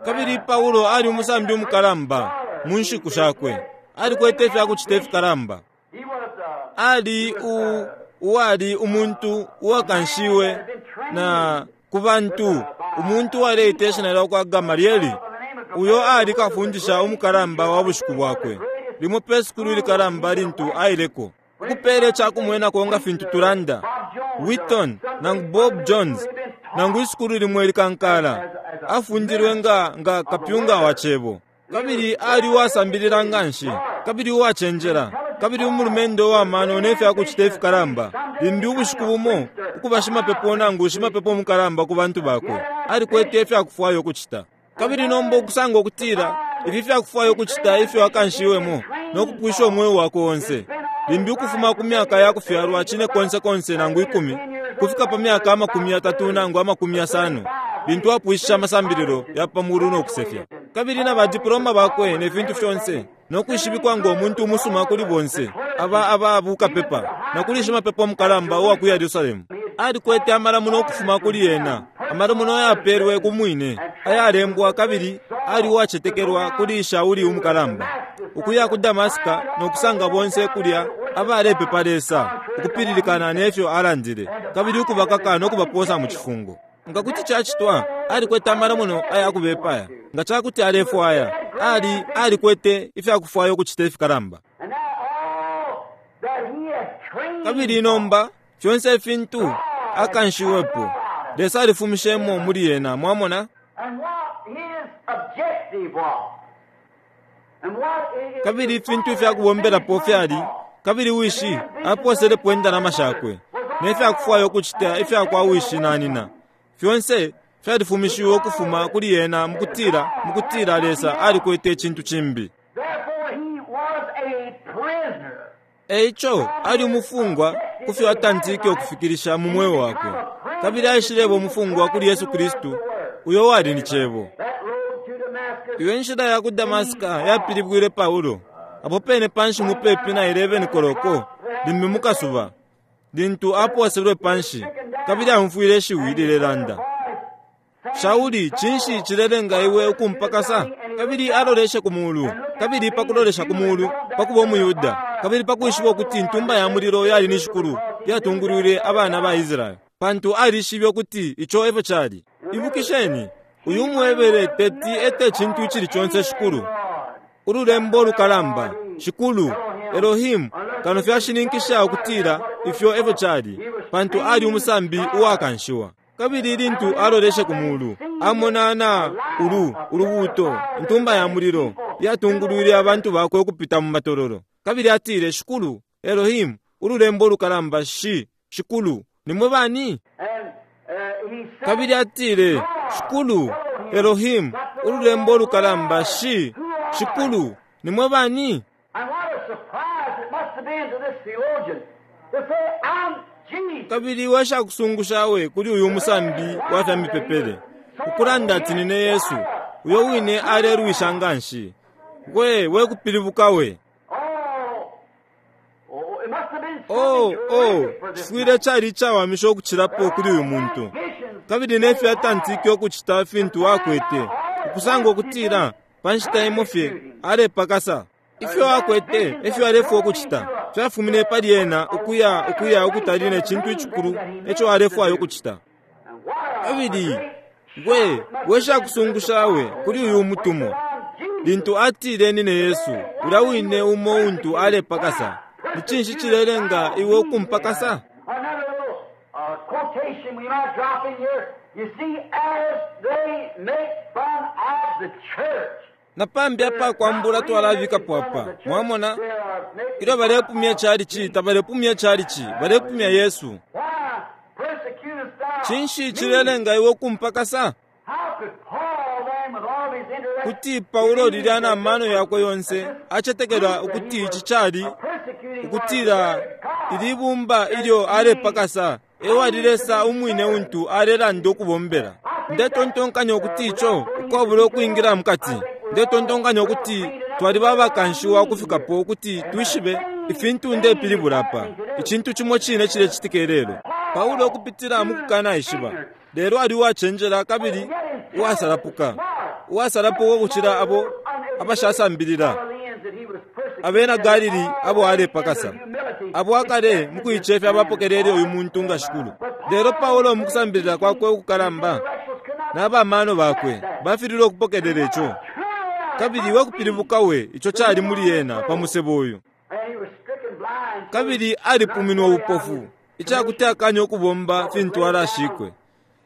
Kabili Paulo ali umusambi umukalamba mu nshiku shakwe. Alikwete ifya kucita ifikalamba. Ali u, uwali umuntu uwakanshiwe na ku bantu umuntu uwaleita ishina lyakwa Gamalieli, uyo ali kafundisha umukalamba wa bushiku bwakwe, limo pe sukulu ilikalamba lintu aileko, ukupela icakumwenako nga fintu tulanda, Wheaton nangu Bob Jones, nangu isukulu limo ilikankala, afundilwe nga, nga kapyunga wa cebo. Kabili ali uwasambilila nganshi, kabili uwacenjela, kabili umulumendo uwa mano ne fya kucita ifikalamba, limbi ubushiku bumo ukuba shimapepo nangu shimapepo mukalamba ku bantu bakwe. Alikwete ifya kufwaya ukucita. Kabili nomba ukusanga ukutila ifi fya kufwaya ukucita ifyo akanshiwemo no kupwisha umweo wakwe onse, limbi ukufuma ku myaka ya kufyalwa cine konse konse nangu 10 kufika pa myaka 30 nangu 50, lintu apwishisha amasambililo ya pa mulu no kusefya, kabili na badiploma bakwe ne fintu fyonse, no kwishibikwa ngo muntu umusuma kuli bonse aba aba bukapepa na kuli shimapepo mukalamba uwa ku Yerusalemu. Alikwete amalamuno ukufuma kuli ena, amalamuno ayapelwe ku mwine, ayalembwa, kabili ali uwacetekelwa kuli Shauli umukalamba, ukuya ku Damasika no kusanga bonse kulya abalepepa Lesa, ukupililikana nefyo alandile, kabili ukubakaka no kubaposa mu cifungo. Nga kuti cacitwa, alikwete amalamuno aya kubepaya. Nga cakuti alefwaya, ali alikwete ifyakufwaya ukucita ifikalamba. And now all that he has trained Kabili nomba fyonse ifintu akanshiwepo, Lesa alifumishemo muli ena, mwamona? and what his objective was. And what it is Kabili ifintu ifyakubombelapo fyali, kabili wishi aposelepo indalama shakwe ne fyakufwaya ukucita ifyakwa wishi na nina, fyonse fyalifumishiwe ukufuma kuli ena mukutila, mukutila Lesa alikwete icintu cimbi. Therefore he was a prisoner. Eico ali umufungwa kufyo atantike ukufikilisha mu mweo wakwe, kabili aishileba umufungwa kuli Yesu Kristu, uyo wali ni Cebo. That road to Damascus Iyo nshila ya ku Damasika yapilibwile Paulo apo pene panshi mupepi na 11 koloko limbi mukasuba, lintu aposelwe panshi, kabili aumfwile ishiwi lilelanda, Shauli, cinshi cilelenga iwe ukumpakasa? Kabili aloleshe ku mulu, kabili pakulolesha ku mulu pakuba umuyuda, kabili pakwishiba ukuti intumba ya mulilo yali ni shikulu yatungulwile abana ba Israeli, pantu alishibe ukuti ico efyo cali. Ibukisheni, uyu mwebele teti ete cintu icili conse shikulu, ululembo lukalamba, shikulu Elohim, kano fyashininkisha ukutila ifyo efyo cali, pantu ali umusambi uwakanshiwa. Kabili lintu aloleshe ku mulu, amona na ulu ulubuto, intumba ya mulilo yatungulwile abantu bakwe ukupita mu matololo. Kabili atile, Shikulu Elohim, ululembo lukalamba, shi shikulu, nimwe bani? and he said, Kabili atile, Shikulu Elohim, ululembo lukalamba, shi shikulu, nimwe bani? And what a surprise it must have been to this theologian to say, I'm Jesus. Kabili weshakusungusha we kuli uyu musambi wa fya mipepele ukulanda ati nine Yesu, uyo wine alelwisha nganshi. We wekupilibuka we. Oh, oh, it must have been Oh, something oh, terrific for this cifwile man. cali icawamisha ukucilapo kuli uyu muntu. Kabili nefyo atantike ukucita fintu akwete, ukusanga ukutila pa nshita imo fye alepakasa. Ifyo akwete efyo alefwa ukucita fyafumine pali ena ukuya ukuya ukutali ne cintu icikulu eco alefwaya ukucita. And what a Kabili great we weshakusungusha we kuli uyu mutumwa, lintu atile nine Yesu, ulya wine umo untu alepakasa. Ni cinshi cilelenga iwe ukumpakasa? Another little quotation we might drop in here. You see, as they make fun of the church, Na pambi apa kwambula twalabikapo apa, mwamona? they are making Ilyo balepumya chalichi, tabalepumya chalichi, balepumya Yesu. Why persecutest thou Cinshi me? cilelenga iwe ukumpakasa? How could Paul then, with all of his intellect, Kuti Paulo lilya na mano yakwe yonse acetekela ukuti ici cali ukutila ilibumba ilyo alepakasa ewali Lesa umwine untu alelanda ukubombela. Ndetontonkanya ukuti ico ukwabula ukwingila mukati, ndetontonkanya ukuti twaliba abakanshiwa ukufikapo ukuti twishibe ifintu ndepilibula apa. Icintu cimo cine cilecitika ilelo. Paulo ukupitila mu kukanaishiba, lelo ali uwacenjela kabili uwasalapuka, uwasalapuka ukucila abo abashasambilila abena Galili abo alepakasa, abo akale mukuicefya abapokelele uyu muntu nga shikulu. Lelo Paulo mukusambilila kwakwe ukukalamba na bamano bakwe bafililwe ukupokelela ico. Kabili we kupilibuka we ico cali muli ena pa musebo uyu. Kabili alipuminwe ubupofu icakuti akanya ukubomba fintu alashikwe.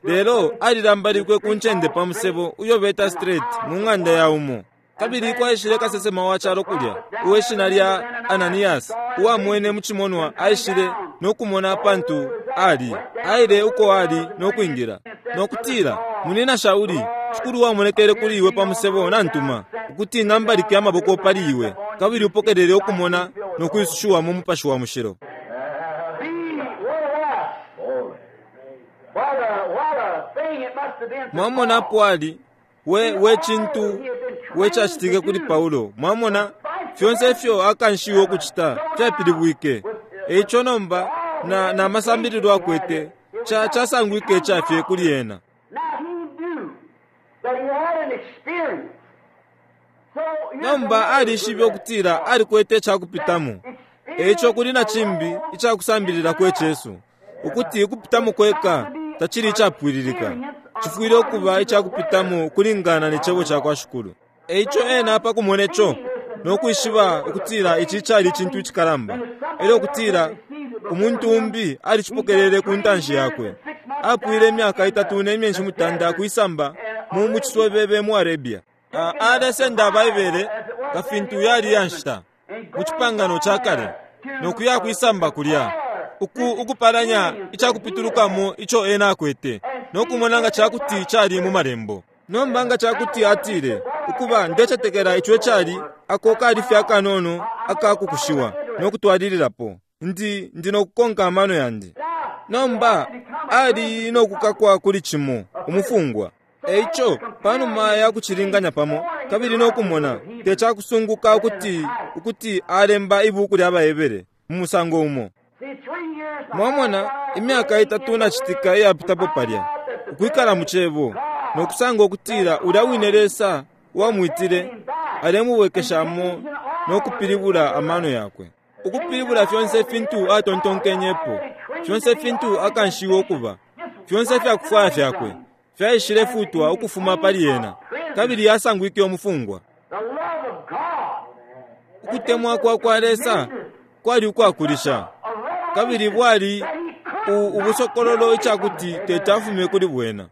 Lelo alilambalikwe ku ncende pa musebo uyo beta Straight mu ng'anda ya umo. Kabili kwaishile kasesema wa calo kulya, uwe shina lya Ananias, uwamwene mu cimonwa aishile no kumona pantu ali, aile uko ali no kwingila, no kutila, Munina Shauli, Shikulu wamonekele kuli iwe pa musebo nantuma, ukuti nambalike amaboko pali iwe, kabili upokelele ukumona no kwisushiwa mu Mupashi wa Mushilo. Mwamona apo ali, we, we cintu we cacitike kuli Paulo. Mwamona, fyonse ifyo akanshiwe ukucita fyapilibwike. Eico nomba, na, na masambililo akwete, ca, casangwike icafye kuli ena. Nomba alishibe ukutila alikwete icakupitamo. Eico kuli na cimbi icakusambililako icesu, ukuti ukupitamo kweka tacili icapwililika. Cifwile ukuba icakupitamo ukulingana ne Cebo cakwa Shikulu. Eico ena pa kumone co, no kwishiba ukutila ici cali icintu icikalamba, elyo ukutila umuntu umbi alicipokelele ku ntanshi yakwe. Apwile imyaka itatu ne myeshi mutanda kwisamba mu mu ciswebebe mu Arabia. Alesenda Baibele nga fintu yali ya nshita mu Cipangano ca Kale, no kuya kwisamba kulya, uku ukupalanya icakupitulukamo ico ena akwete, no kumona nga cakuti cali mu Malembo. Nomba nga cakuti atile, Ukuba, ndecetekela ico ecali, ako kali fye akanono aka kukushiwa, no kutwalililapo. Ndi, ndi no kukonka amano yandi. Nomba, ali no kukakwa kuli cimo, umufungwa. E ico, panuma ya kucilinganya pamo, kabili no kumona, te cakusunguka ukuti, ukuti alemba Ibuku lya baHebere mu musango umo. Mwamona, imyaka itatu na citika iyapitapo palya, ukwikala mu Cebo, no kusanga ukutila ulya wine Lesa uwamwitile alemubwekeshamo no kupilibula amano yakwe, ukupilibula fyonse fintu atontonkenyepo, fyonse fintu akanshiwe ukuba, fyonse ifyakufwaya fyakwe fyaishile futwa ukufuma pali ena, kabili asangwike umufungwa. Ukutemwa kwa kwa Lesa kwali ukwakulisha, kabili bwali u, ubusokololo icakuti teti afume kuli bwena.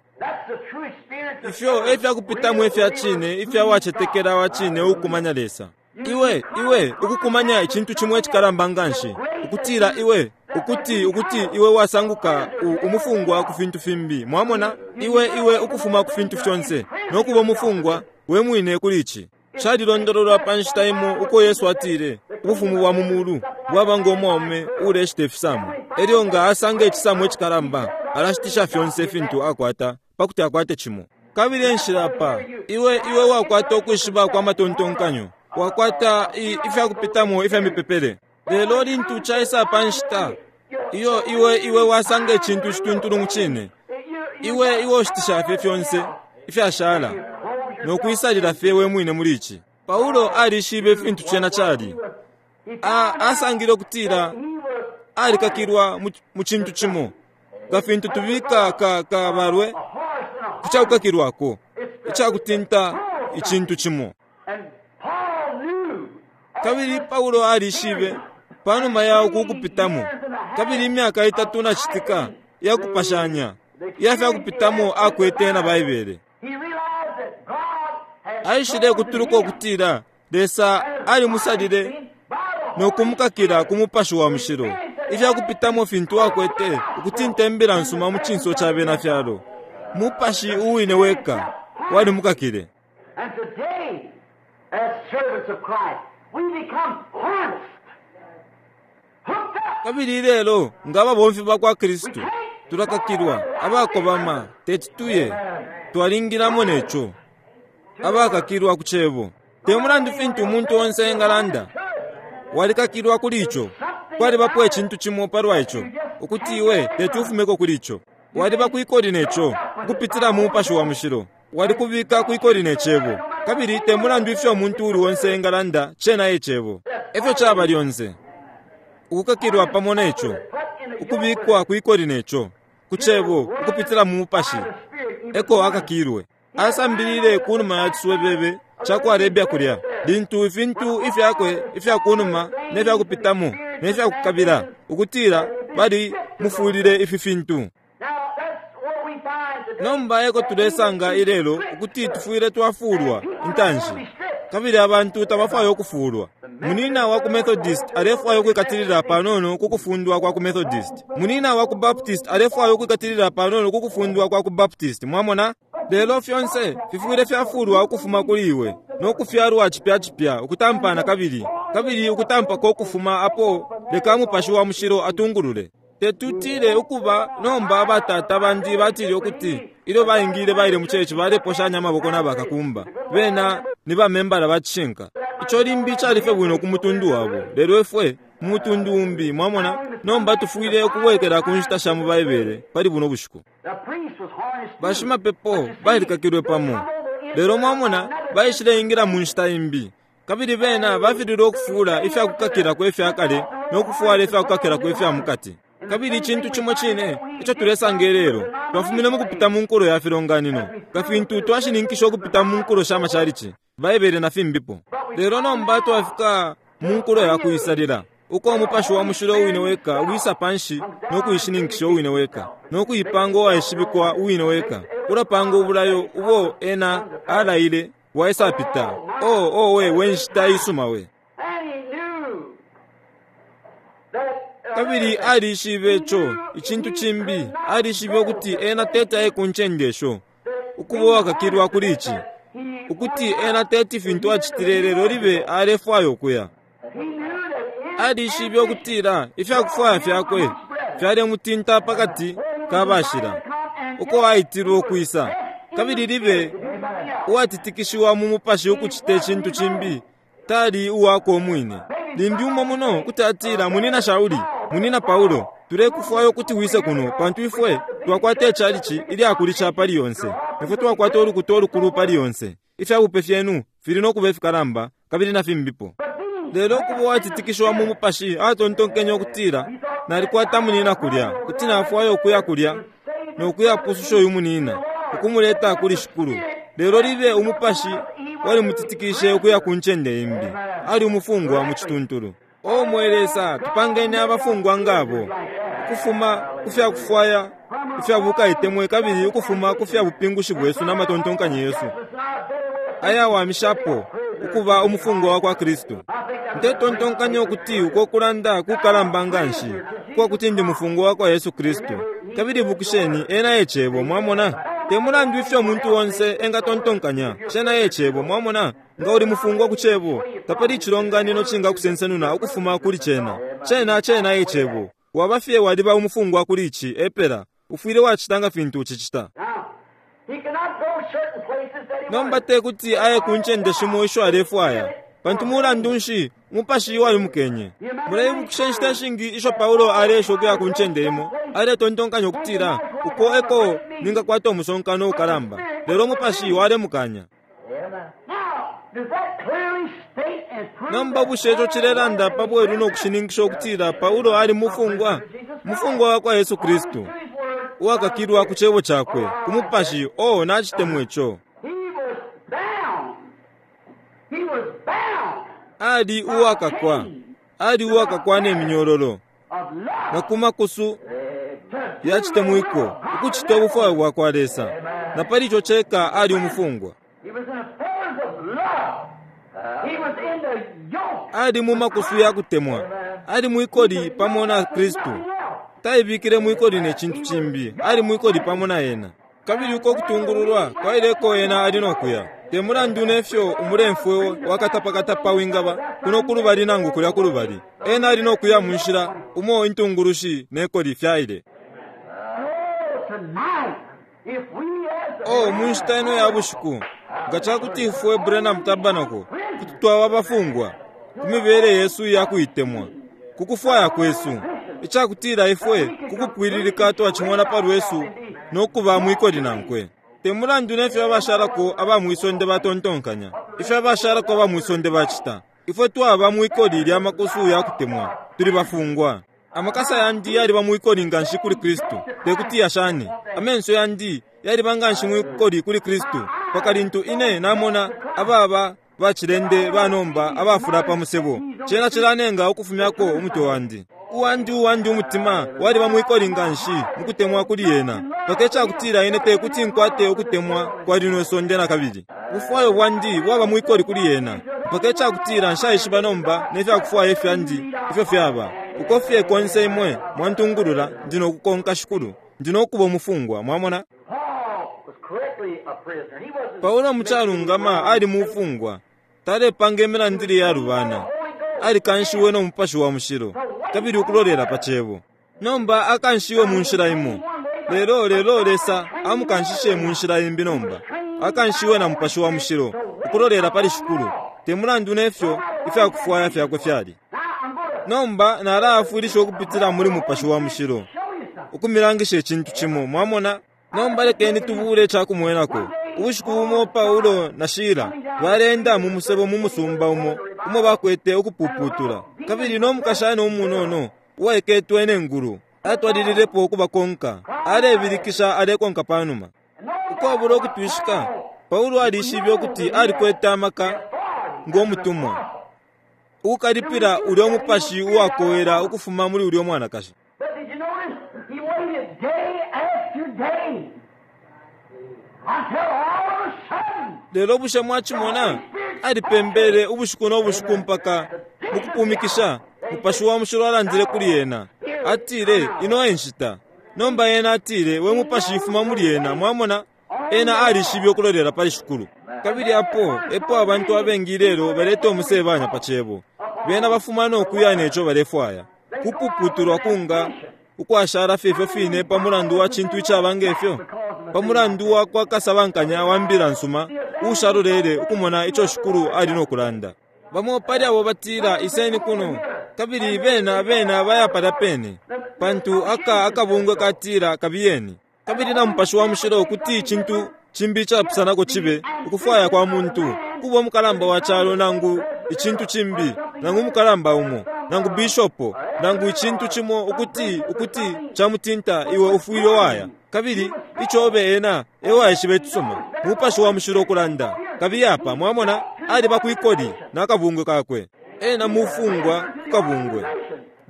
Ifyo e fyakupitamo ifya cine ifya wacetekela wa cine uukumanya Lesa. Iwe, iwe, ukukumanya icintu cimo icikalamba nganshi, ukutila iwe, ukuti, ukuti iwe wasanguka u, umufungwa ku fintu fimbi. Mwamona? Iwe, iwe ukufuma ku fintu fyonse, no kuba umufungwa we mwine kuli ici. Calilondololwa pa nshita imo uko Yesu atile, Ubufumu bwa mu mulu bwaba ngo mwaume uuleshita ifisamo. Elyo nga asanga icisamo icikalamba, alashitisha fyonse fintu akwata pa kuti akwate cimo. Kabili e nshila apa, iwe, iwe wakwata ukwishiba kwa matontonkanyo, wakwata i, ifya kupitamo ifya mipepele. Lelo lintu caisa pa nshita iyo iwe, iwe wasanga icintu icituntulu mu cine, iwe, iwe ushitisha fye fyonse ifyashala no kuisalila fye we mwine muli ici. Paulo alishibe fintu cena cali. A, asangile ukutila alikakilwa mu, mu cintu cimo, nga fintu tubika ka, kabalwe ku cakukakilwako, icakutinta icintu cimo. Kabili Paulo alishibe, panuma ya uku kupitamo, kabili imyaka itatu na citika iya kupashanya iya fya kupitamo akwete na Baibele. Aishile kutuluka ukutila Lesa alimusalile no kumukakila ku Mupashi wa Mushilo ifya kupitamo fintu akwete ukutinta imbila nsuma mu cinso ca bena fyalo. Mupashi uwine weka walimukakile. And today, as servants of Christ, we become harnessed, hooked up. Kabili ilelo, nga ababomfi ba kwa Kristu, tulakakilwa, abakobama, teti tuye, twalingilamo ne co, abakakilwa ku Cebo. Te mulandu fintu umuntu onse engalanda, walikakilwa kuli ico. Kwalibapo icintu cimo palwa ico, ukuti iwe teti ufumeko kuli ico. Waliba kwikoli ne co, ukupitila mu Mupashi wa Mushilo. Walikubika kwikoli ne Cebo. Kabili te mulandu ifyo umuntu uuli onse engalanda, cena e Cebo. Efyo caba lyonse. Ukukakilwa pamo ne co, ukubikwa kwikoli ne co. Ku Cebo, ukupitila mu Mupashi, eko akakilwe. Asambilile kunuma ya ciswebebe ca ku Arabia kulya, lintu ifintu ifyakwe ifya kunuma ne fya kupitamo ne fya kukabila, ukutila bali mufulile ifi fintu. Nomba eko tulesanga ilelo ukuti tufwile twafulwa intanshi, kabili abantu tabafwaya ukufulwa. Munina wa ku Methodist alefwaya ukwikatilila panono ku kufundwa kwa ku Methodist. Munina wa ku Baptist alefwaya ukwikatilila panono ku kufundwa kwa ku Baptist. Mwamona? Lelo fyonse fifwile fyafulwa ukufuma kuli iwe no kufyalwa cipya cipya, ukutampa na kabili, kabili ukutampako ukufuma apo. Leka Mupashi wa Mushilo atungulule. Tetutile ukuba nomba batata bandi batile ukuti ilyo baingile baile mu church baleposhanya amaboko na bakakumba. Bena ni bamembala ba cishinka. Ico limbi cali fye bwino ku mutundu wabo, lelo ifwe mu mutundu umbi, mwamona. Nomba tufwile ukubwekela ku nshita sha mu Baibele pali buno bushiku. Bashimapepo balikakilwe pamo, lelo mwamona baishileingila mu nshita imbi. Kabili bena bafililwe ukufuula ifya kukakilako ifya kale no kufwala ifya kukakilako ifya mukati. Kabili icintu cimo cine ico tulesanga ilelo, twafumine mukupita mu nkulo ya filonganino, nga fintu twashininkisha ukupita mu nkulo sha macalici, Baibele na fimbipo. Lelo nomba twafika mu nkulo ya kuisalila, uko Umupashi wa Mushilo uwine weka wisa panshi no kuishininkisha uwine weka, no kuipanga uwaishibikwa uwine weka, ulapanga ubulayo ubo Ena alaile bwaisapita. Oh, owe, we nshita isuma we! Kabili alishibe ico, icintu cimbi, alishibe ukuti ena teti aye ku ncende isho, ukuba uwakakilwa kuli ici, ukuti ena teti fintu acitile lelo libe alefwaya ukuya. Alishibe ukutila ifyakufwaya fyakwe fyalemutinta pakati ka bashila, uko aitilwe ukwisa, kabili libe uwatitikishiwa mu mupashi ukucita icintu cimbi, tali uwakwe umwine. Limbi umo muno kuti atila, Munina Shauli, Munina Paulo, tulekufwaya ukuti wise kuno, pantu ifwe twakwata icalici ilyakulisha pali yonse. Ifwe twakwata ulukuta ulukulu pali yonse. Ifya bupe fyenu fili no kuba ifikalamba, kabili na fimbipo. Lelo ukuba uwatitikishiwa mu mupashi, atontonkenye ukutila, Nalikwata munina kulya, kuti nafwaya ukuya kulya no kuyapususha uyu munina, ukumuleta kuli Shikulu. Lelo libe umupashi walimutitikishe ukuya ku ncende imbi. Ali umufungwa mu cituntulu. O mwe Lesa, tupangeni abafungwa nga abo, ukufuma ku fya kufwaya ifya bukaitemwe kabili ukufuma ku fya bupingushi bwesu na matontonkanyo yesu ayawamishapo, ukuba umufungwa wa kwa Kristu. Ndetontonkanya ukuti uko kulanda kukalamba nganshi ukwa kuti ndi mufungwa wa kwa Yesu Kristu. Kabili ibukisheni, Ena e Cebo, mwamona. Te mulandu ifyo umuntu onse engatontonkanya, cena e Cebo, mwamona. Nga uli mufungwa ku Cebo, tapali icilonganino cingakusensenuna ukufuma kuli Cena. Cena, cena e Cebo. Waba fye waliba umufungwa kuli Ici, epela. Ufwile wacita nga fintu ucicita. Nomba te kuti aye ku ncende shimo isho alefwaya, pantu mulandu nshi? Umupashi walimukenye. Muleibukisha inshita ishingi isho Paulo aleesha ukuya ku ncende imo, aletontonkanya ukutila, Uko eko ningakwata umusonkano ukalamba. Lelo umupashi walemukanya. Nomba bushe ico cilelanda pa bwelu no kushininkisha ukutila Paulo ali mufungwa, mufungwa wa kwa Yesu Kristu, uwakakilwa ku Cebo Cakwe, ku Mupashi? Oh, nacitemwa ico. Ali uwakakwa, ali uwakakwa ne minyololo, na ku makusu ya citemwiko, ukucita ubufwayo bwakwa Lesa. Na pali ico ceka ali umufungwa. Ali mu makusu ya kutemwa. Ali mwikoli pamo na Kristu. Taibikile mwikoli ne cintu cimbi. Ali mwikoli pamo na Ena. Kabili uko kutungululwa kwaileko ena ali no kuya. Te mulandu ne fyo umulemfwe wa katapakatapa wingaba, kuno kulubali nangu kulya kulubali, ena ali no kuya mu nshila umo intungulushi ne koli fyaile. Oh, mu nshita ino ya bushiku, nga ca kuti ifwe Branham Tabernacle kuti twaba abafungwa ku mibele yesu iya kuitemwa, ku kufwaya kwesu, icakutila ifwe ku kupwililika twacimona pa lwesu no kuba mwikoli nankwe. Te mulandu ne fyo abashalako aba mwisonde batontonkanya, ifyo abashalako aba mwisonde bacita, ifwe twaba mwikoli lya makusu ya kutemwa, tuli bafungwa. Amakasa yandi yaliba mwikoli nganshi kuli Kristu, tekuti yashane. Amenso yandi yaliba nganshi mwikoli kuli Kristu, mpaka lintu ine namona ababa bacilende banomba abafula pa musebo, cena cilanenga ukufumyako umutwe wandi. Uwandi, uwandi umutima waliba mwikoli nganshi mukutemwa kuli Ena, mpaka icakutila ine tekuti nkwate ukutemwa kwa lino isonde nakabili. Ubufwayo bwandi bwaba mwikoli kuli Ena, mpaka icakutila nshaishiba nomba nefyakufwaya ifyandi ifyo fyaba. Uko fye konse Imwe mwantungulula, ndi nokukonka, Shikulu. Ndi nokuba umufungwa. Mwamona? Paulo mucalungama ali mufungwa. Talepanga imilandile iyalubana. Alikanshiwe no Mupashi wa Mushilo, kabili ukulolela pa Cebo. Nomba akanshiwe mu nshila imo. Lelo, lelo Lesa amukanshishe mu nshila imbi nomba. Akanshiwe na Mupashi wa Mushilo, ukulolela pali Shikulu, te mulandu ne fyo ifyakufwaya fyakwe fyali. Nomba nalaafwilisha ukupitila muli Mupashi wa Mushilo, ukumilangisha icintu cimo. Mwamona? Nomba lekeni tubuule icakumwenako. Ubushiku bumo Paulo na Shila baleenda mu musebo mu musumba umo umo bakwete ukupuputula, kabili no mukashana umunono uwaiketwe ne ngulu atwalililepo ukubakonka, alebilikisha alekonka pa numa. Ukwabula ukutwishika, Paulo alishibe ukuti alikwete amaka ngo mutumwa ukukalipila ulyo mupashi uwakowela ukufuma muli ulyo mwanakashi. But did you notice he waited day after day until all of a sudden Lelo bushe mwacimona? Alipembele ubushiku no bushiku mpaka mukupumikisha Mupashi wa Mushilo alandile kuli ena. Atile, Ino e nshita. Nomba ena atile, We mupashi fuma muli ena. Mwamona? Ena alishibe ukulolela pali Shikulu. Kabili apo epo abantu abengi ilelo baleta umusebanya pa Cebo. Bena bafuma no kuya neco balefwaya. Kupuputulwa kunga ukwashala fye ifyo fine pa mulandu wa cintu icaba nge fyo? Pa mulandu wa kwa kasabankanya wa mbila nsuma uushalolele ukumona ico Shikulu ali no kulanda. Bamo pali abo batila, Iseni kuno, kabili bena, bena baya palya pene, pantu aka akabungwe katila, Kabiyeni. Kabili na Mupashi wa Mushilo kuti icintu cimbi icapusanako cibe ukufwaya kwa muntu, kuba umukalamba wa calo nangu icintu cimbi, nangu umukalamba umo, nangu bishopo, nangu icintu cimo ukuti, ukuti camutinta, iwe ufwile waya. Kabili icobe ena ewaishiba icisuma, Mupashi wa Mushilo ukulanda. Kabiye apa, mwamona, aliba kwikoli na kabungwe kakwe. Ena mufungwa ku kabungwe.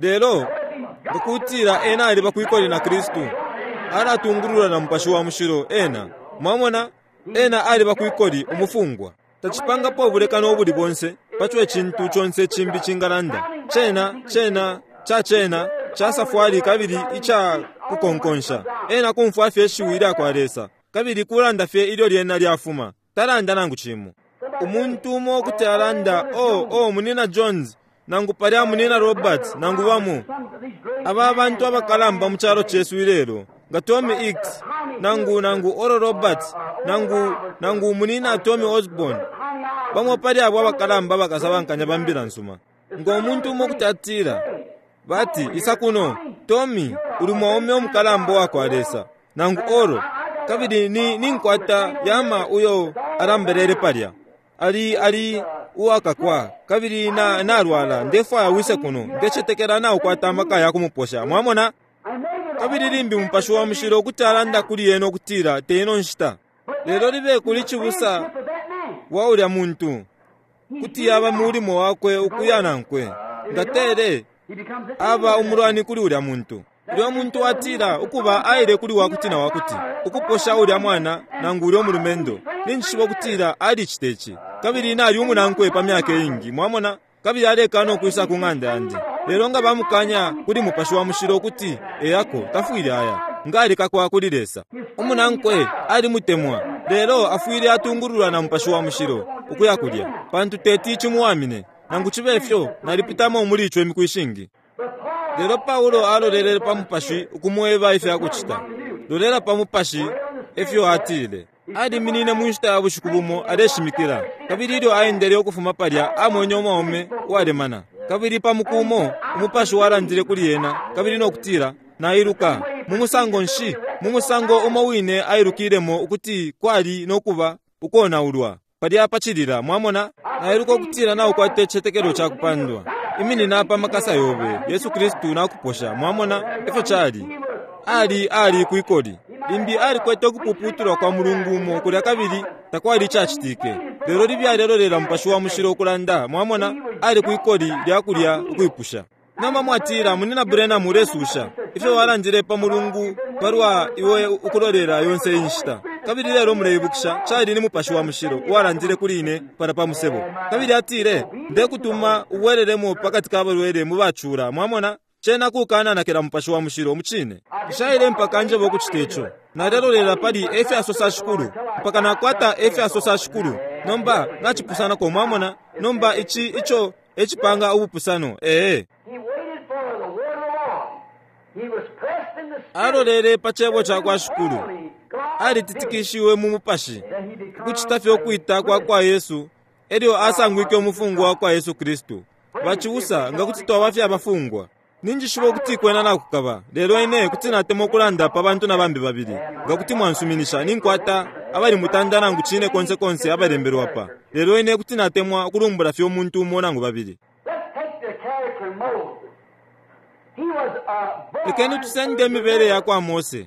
Lelo, nga kutila ena aliba kwikoli na Kristu, alatungulula na Mupashi wa Mushilo, ena, mwamona, ena aliba kwikoli, umufungwa. Tacipangapo ubulekano ubuli bonse paco icintu conse cimbi cingalanda. Cena, cena, ca cena, ca safwali kabili ica kukonkonsha. Ena kumfwa fye ishiwi lyakwa Lesa, kabili kulanda fye ilyo lyena lyafuma. Talanda nangu cimo. Umuntu umo kuti alanda, Oh, oh, Munyina Jones, nangu palya Munyina Roberts, nangu bamo aba bantu abakalamba mu calo cesu ilelo, nga Tommy Hicks, nangu, nangu Oral Roberts, nangu, nangu Munyina Tommy Osborn, bamo pali abo abakalamba bakasabankanya ba mbila nsuma. Ngo muntu umo kuti atila, bati, Isa kuno, Tommy, uli mwaume umukalamba uwakwa Lesa, nangu Oral, kabili ni, ninkwata yama uyo alambelele palya. Ali, ali uwakakwa, kabili na, nalwala. Ndefwaya wise kuno. Ndecetekela naukwata amaka ya kumuposha. Mwamona? Kabili limbi Mupashi wa Mushilo kuti alanda kuli ena ukutila, Te ino nshita. Lelo libe kuli cibusa wa ulya muntu, kuti yaba mulimo wakwe ukuya nankwe. Nga tele, aba umulwani kuli ulya muntu. Ulya muntu atila, Ukuba, aile kuli wakuti-na-wakuti, ukuposha ulya mwana nangu ulya umulumendo. Ninjishiba ukutila alicita ici. Kabili nali umunankwe pa myaka iingi, mwamona, kabili alekana ukwisa ku ng'anda yandi. Lelo nga bamukanya kuli Mupashi wa Mushilo ukuti eyako, tafwile aya. Nga alikakwa kuli Lesa. Umunankwe alimutemwa, lelo afwile atungululwa na Mupashi wa Mushilo ukuya kulya, pantu teti cimuwamine. Nangu cibe fyo, nalipitamo muli ico imiku ishingi. Lelo Paulo alolelele pa Mupashi ukumweba ifya kucita. Lolela pa Mupashi, efyo atile. Aliminine mu nshita ya bushiku bumo aleshimikila, kabili ilyo aendele ukufuma palya amwene umwaume uwalemana. Kabili pa muku umo Umupashi walandile kuli ena kabili no kutila, Nailuka. Mu musango nshi? Mu musango umo wine ailukilemo ukuti kwali no kuba ukonaulwa. Palya pa cilila, mwamona? Nailuka ukutila naukwata icicetekelo ca kupandwa. Iminina pa makasa yobe, Yesu Kristu nakuposha. Mwamona efyo cali? Ali, ali kwikoli. Limbi alikwete ukupuputulwa kwa mulungu umo kulya kabili takwali icacitike. Lelo libi alelolela Mupashi wa Mushilo ukulanda, mwamona, ali kwikoli lya kulya ukwipusha. Nomba mwatila, Munyina Branham ulesusha ifyo walandile pa Mulungu palwa iwe ukulolela yonse iyi nshita. Kabili lelo muleibukisha, cali ni Mupashi wa Mushilo uwalandile kuli ine palya pa musebo. Kabili atile, Ndekutuma ubwelelemo pakati ka balwele mu bacula. Mwamona? Cena kukananakila Mupashi wa Mushilo. Mucine. Nshaile mpaka njebe ukucita ico. Nalelolela pali efya sosa shikulu, mpaka nakwata efya sosa shikulu. Nomba, nacipusanako, mwamona. Nomba, ici, ico e cipanga ubupusano. Ee. Alolele pa Cebo cakwa Shikulu. Alititikishiwe mu Mupashi, ukucita fye ukwita kwa kwa Yesu, elyo asangwike umufungwa wa kwa Yesu Kristu. Bacibusa, nga kuti twaba fye abafungwa! Ninjishiba ukuti kwena nakukaba, lelo ine kuti natemwa ukulanda pa bantu na bambi babili, nga kuti mwansuminisha. Ninkwata abali mutanda nangu cine konse konse abalembelwe apa, lelo ine kuti natemwa ukulumbula fye umuntu umo nangu babili. Lekeni tusende imibele ya kwa Mose.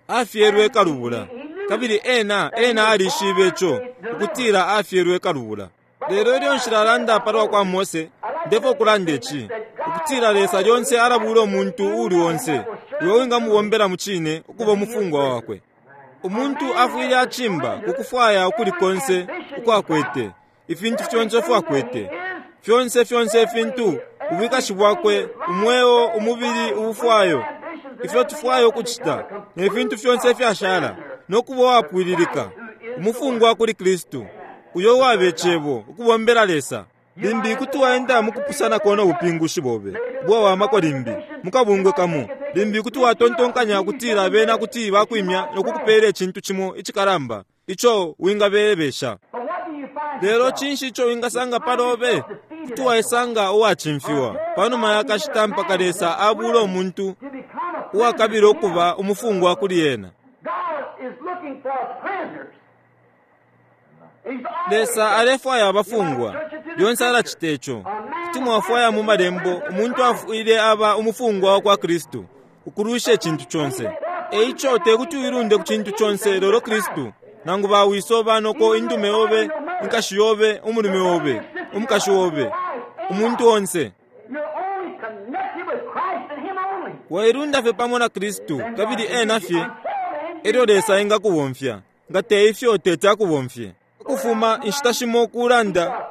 Afyelwe kalubula, kabili ena, ena alishibe ico, ukutila afyelwe kalubula. Lelo ilyo nshilalanda palwa kwa Mose, ndefwaya ukulanda ici, ukutila Lesa lyonse alabula umuntu uuli onse uyo wingamubombela mucine ukuba umufungwa wakwe. Umuntu afwile acimba ku kufwaya ukuli konse uko akwete, ifintu fyonse ifyo akwete, fyonse, fyonse ifintu, ubwikashi bwakwe, umweo, umubili, ubufwayo, ifyo tufwaya ukucita, ne fintu fyonse ifyashala, no kuba uwapwililika, umufungwa kuli Kristu, uyo uwaba Icebo, ukubombela Lesa. Limbi kuti waenda mukupusanako no bupingushi bobe ubwawamako limbi, mukabungwe kamo. Limbi kuti watontonkanya ukutila bena kuti bakwimya no kukupela icintu cimo icikalamba ico wingabelebesha. Lelo cinshi ico wingasanga palobe? Kuti waisanga uwacimfiwa panuma ya kashita mpaka Lesa abula umuntu uwakabila ukuba umufungwa kuli ena. Lesa alefwaya abafungwa. Lyonse alacita ico. Kuti mwafwaya mu Malembo, umuntu afwile aba umufungwa wa kwa Kristu, ukulwisha icintu conse. E ico te kuti uilunde ku cintu conse lelo Kristu, nangu ba wiso, ba noko, indume yobe, inkashi yobe, umulume obe, umukashi obe, umuntu onse. Wailunda fye pamo na Kristu, kabili Ena fye, elyo Lesa engakubomfya. Nga te ifyo, teti akubomfye. Ukufuma inshita shimo kulanda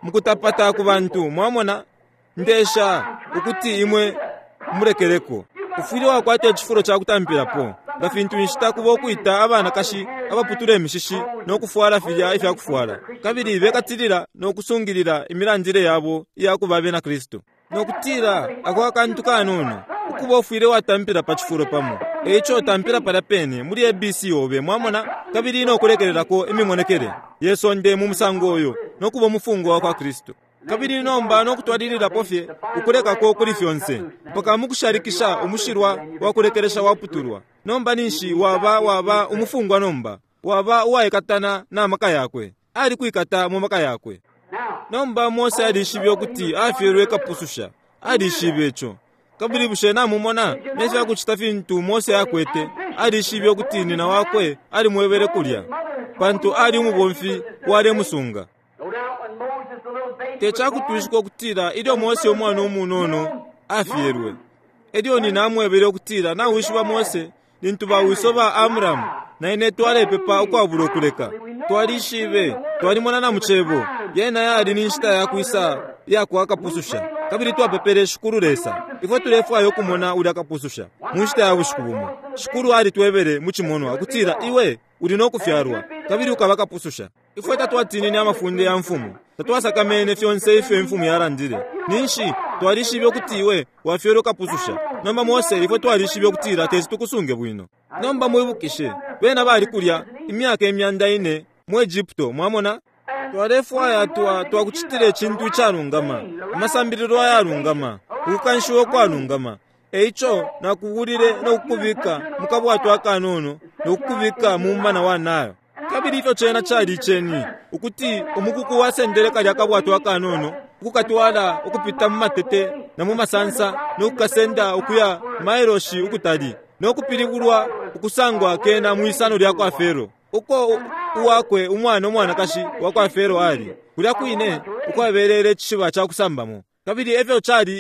mukutapata ku bantu, mwamona, Ndesha ukuti imwe mulekeleko. Ufwile wakwata icifulo ca kutampilapo, nga fintu inshita kuba ukwita abanakashi abaputula imishishi no kufwala filya ifya kufwala, kabili bekatilila no kusungilila imilandile yabo iya kuba abena Kristu. No kutila ako akantu kanono, ukuba ufwile watampila pa cifulo pamo. E ico tampila palya pene muli ABC obe, mwamona, kabili no kulekelelako imimonekele ye sonde mu musango uyo, no kuba umufungwa wa kwa Kristu. Kabili nomba no kutwalililapo fye ukulekako kuli fyonse, mpaka mukushalikisha umushilwa wa kulekelesha waputulwa. Nomba ninshi waba, waba umufungwa nomba, waba uwaikatana na maka yakwe. Alikwikata mu maka yakwe. Nomba Mose alishibe ukuti afyelwe kapususha. Alishibe ico. Kabili bushe namumona ne fya kucita fintu Mose akwete? Alishibe ukuti nina wakwe alimwebele kulya, pantu ali umubomfi walemusunga. Te ca kutwishika ukutila ilyo Mose umwana umunono afyelwe, elyo nina amwebele ukutila, Nawishiba, Mose, lintu ba wiso ba Amramu na ine twalepepa ukwabula ukuleka, twalishibe, twalimona na mu Cebo, yena yali ni nshita ya kwisa iya kwa Kapususha, kabili twapepele Shikulu Lesa. Ifwe tulefwaya ukumona ulya Kapususha mu nshita ya bushiku bumo. Shikulu alitwebele mu cimonwa ukutila iwe uli no kufyalwa kabili ukaba Kapususha. Ifwe tatwatinine amafunde ya mfumu, tatwasakamene fyonse ifyo imfumu yalandile. Ninshi twalishibe ukuti iwe wafyelwe kapususha. Nomba, Mose, ifwe twalishibe ukutila teti tukusunge bwino. Nomba mwibukishe, bena bali kulya imyaka imyanda ine mu Egypto, mwamona. Twalefwaya twa, twakucitila icintu icalungama, amasambililo ayalungama, ukukanshiwa ukwalungama. E ico nakubulile no kukubika mu kabwato akanono no kukubika mu mumana wa Nile. Kabili ifyo cena cali iceni, ukuti umukuku wasendele kalya kabwato akanono ukukatwala ukupita mu matete na mu masansa, no kukasenda ukuya mailoshi ukutali, no kupilibulwa ukusangwa kena mwisano lya kwa Fero, uko uwakwe umwana umwanakashi wa kwa Fero ali, kulya kwine ukwabelele icishiba ca kusambamo. Kabili efyo cali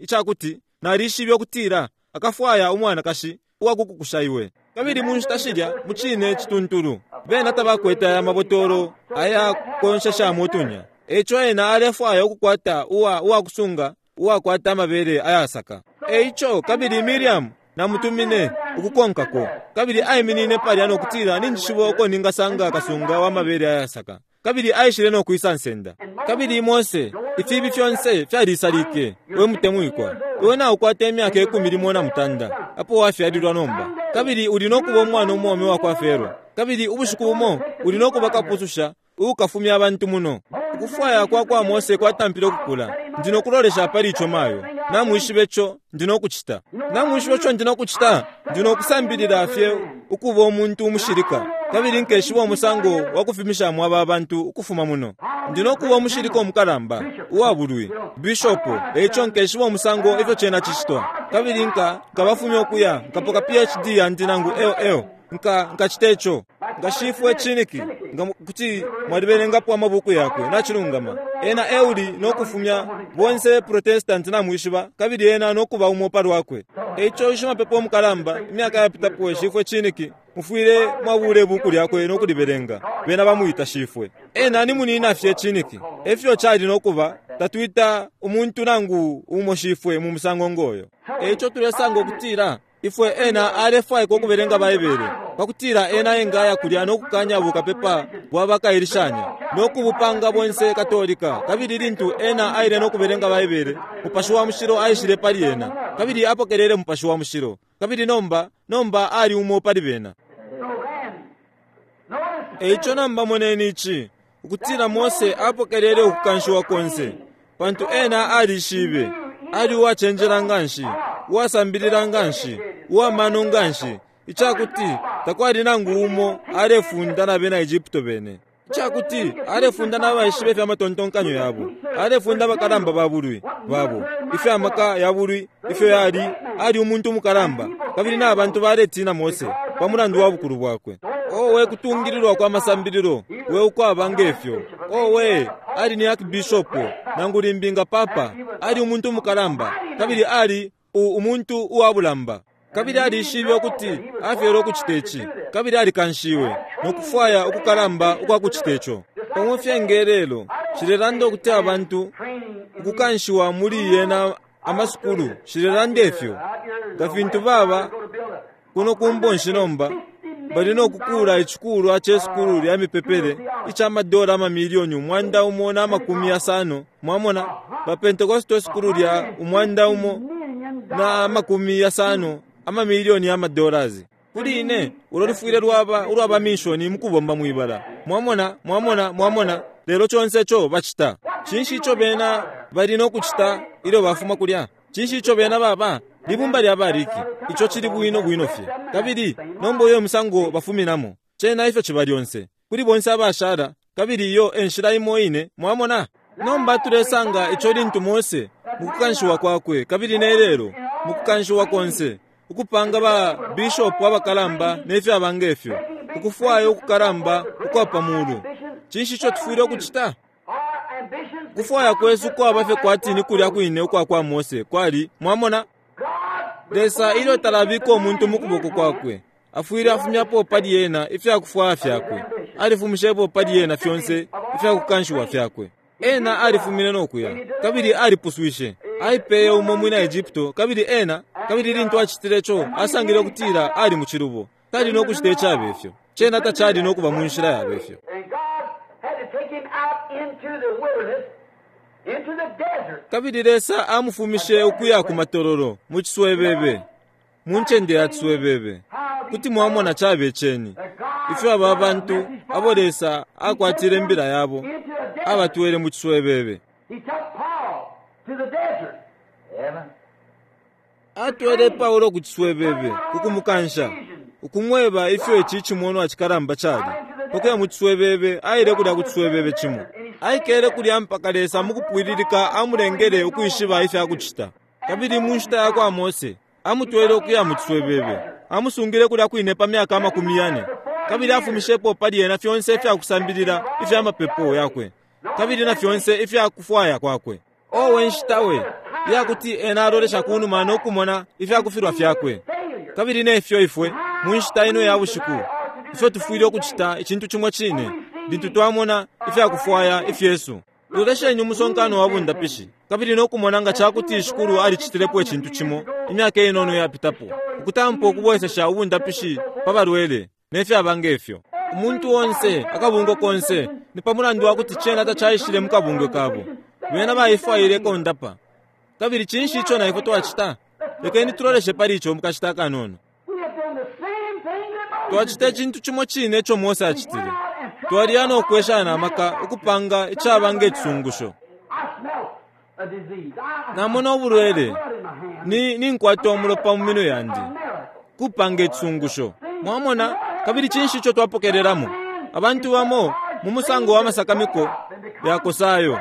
icakuti nalishibe ukutila akafwaya umwanakashi uwakukukusha iwe. Kabili mu nshita shilya mucine cituntulu bena tabakwete aya mabotolo aya konsheshamo utunya. Eico ena alefwaya ukukwata uwakusunga uwakwata amabele ayasaka. Eico kabili Miriam namutumine ukukonkako, kabili aiminine palya no kutila, ninjishiba uko ningasanga kasunga wa mabele ayasaka. Kabili aishile no kwisa nsenda. Kabili Mose, ifibi fyonse fyalisalike. We mutemwikwa, iwe naukwata imyaka 15 apo wafyalilwa nomba, kabili uli no kuba umwana umwaume wa kwa Fero, kabili ubushiku bumo uli no kuba kapususha ukafumya abantu muno. Ukufwaya kwa kwa Mose kwatampile ukukula. Ndi no kulolesha pali ico mayo. Namwishibe ico ndi no kucita. Namwishibe ico ndi no kucita. Ndi no kusambilila fye ukuba umuntu umushilika, kabili nkeshiba umusango wa kufimishamo aba bantu ukufuma muno. Ndi no kuba umushilika umukalamba uwabulwi bishopo, eico nkeshiba umusango ifyo cena cicitwa. Kabili nkabafumya ukuya, nkapoka PhD yandi nangu LL, nkacita ico. Ngashifwe Chiniki, nga kuti mwalibelengapo amabuku yakwe, nachilungama. Ena euli no kufumya bonse Protestant namwishiba, kabili ena no kuba umo palwakwe. Eico shimapepo umukalamba, imyaka yapitapo, shifwe Chiniki, mufwile mwabule buku lyakwe no kulibelenga. Bena bamwita shifwe. Ena ni munina fye Chiniki. Efyo cali no kuba, tatwita umuntu nangu umo shifwe mu musango ngoyo. Eico tulesanga ukutila ifwe ena alefwaika ukubelenga Baibele, pakutila ena engaya kulya no kukanya bukapepa bwa bakailishanya no kubupanga bonse Katolika. Kabili lintu ena aile no kubelenga Baibele, Mupashi wa Mushilo aishile pali ena, kabili apokelele Mupashi wa Mushilo. Kabili nomba ali umo pali bena. Eico nomba moneni ici, ukutila Mose apokelele ukukanshiwa konse, pantu ena alishibe, ali uwacenjela nganshi, uwasambilila nganshi, uwamano nganshi, icakuti takwali nangu umo alefunda na bena Egypto bene. Icakuti alefunda n'abaishibe ifyamatontonkanyo yabo, alefunda abakalamba ba bulwi babo, ifyamaka ya bulwi ifyo yali, ali umuntu umukalamba, kabili n'abantu baletina Mose pa mulandu wa bukulu bwakwe. Owe kutungililwa kwa masambililo, we ukwaba ngefyo. Owe ali ni archbishop nangu limbi nga papa, ali umuntu umukalamba, kabili ali umuntu uwabulamba. Kabili alishibe ukuti afyele ukucita ici, kabili alikanshiwe no kufwaya ukukalamba ukwa kucita ico. Pamo fye ngelelo shilelanda ukuti abantu ukukanshiwa muli yena amasukulu, shilelanda ifyo nga fintu baba kuno kumbonshi nomba bali no kukula icikulwa ce sukulu lya mipepele ica madola amamiliyoni 150. Mwamona ba Pentecostal sukulu lya 150 amamiliyoni ya madollars. Kuli ine ulo lufwile lwaba ulwaba mishoni mukubomba mwibala. Mwamona, mwamona, mwamona. Lelo conse ico bacita, cinshi ico bena bali no kucita ilyo bafuma kulya? Cinshi ico bena baba libumba lya bariki? Ico cili bwino bwino fye. Kabili nomba uyo musango bafuminamo, cena ifyo ciba lyonse kuli bonse abashala, kabili iyo enshila imo ine. Mwamona nomba tulesanga ico lintu Mose mukukanshiwa kwakwe, kabili nelelo mukukanshiwa konse, ukupanga ba bishop abakalamba nefyaba ngefyo, ukufwaya ukukalamba ukwa pamulu. Cinshi ico tufwile ukucita? Kufwaya kwesu kwaba fye kwati ni kulya kwine ukwa kwa Mose kwali. Mwamona Lesa ilyo talabika umuntu mu kuboko kwakwe, afwile afumyapo pali ena ifyakufwaya fyakwe. Alifumishepo pali ena fyonse ifyakukanshiwa fyakwe. Ena alifumine no kuya, kabili alipuswishe. Aipeye umo mwina Egypto, kabili ena, kabili lintu acitile ico, asangile ukutila ali mu cilubo. Tali no kucita icabefyo. Cena tacali no kuba mu nshila yabefyo. Kabili Lesa amufumishe ukuya ku matololo mu ciswebebe, mu ncende ya ciswebebe. Kuti mwamona cabe ceni ifyo aba bantu abo Lesa akwatile imbila yabo abatwele mu ciswebebe. Atwele Paulo ku ciswebebe kukumukansha, ukumweba ifyo ici cimonwa cikalamba cali. Pakuya mu ciswebebe, aile kulya ku ciswebebe cimo. Aikele kulya mpaka Lesa mukupwililika amulengele ukwishiba ifya kucita. Kabili mu nshita yakwa Mose, amutwele ukuya mu ciswebebe, amusungile kulya kwine pa myaka 40, kabili afumishepo pali ena fyonse ifya kusambilila ifya mapepo yakwe, kabili na fyonse ifya kufwaya kwakwe. Owe nshita we, iyakuti ena alolesha kunuma no kumona ifya kufilwa fyakwe. Kabili nefyo ifwe, mu nshita ino ya bushiku, ifyo tufwile ukucita icintu cimo cine, lintu twamona ifya kufwaya ifyesu. Lolesheni umusonkano wa bundapishi, kabili no kumona nga cakuti Shikulu alicitilepo icintu cimo imyaka inono yapitapo, ukutampa ukubwesesha ubundapishi pa balwele, ne fyaba ngefyo. Umuntu onse, akabungwe konse, ni pa mulandu wa kuti cena tacaishile mu kabungwe kabo. Bena baifwaile kondapa. Kabili cinshi ico na ifwe twacita? Lekeni tuloleshe pali ico mukashita akanono. Twacita icintu cimo cine ico Mose acitile. Twaliya no kwesha na maka ukupanga icaba nge cisungusho. Namona ubulwele. Ni, ninkwata umulopa mu minwe yandi. Kupanga icisungusho. Mwamona? Kabili cinshi ico twapokelelamo? Abantu bamo, mu musango wa masakamiko yakosa ayo,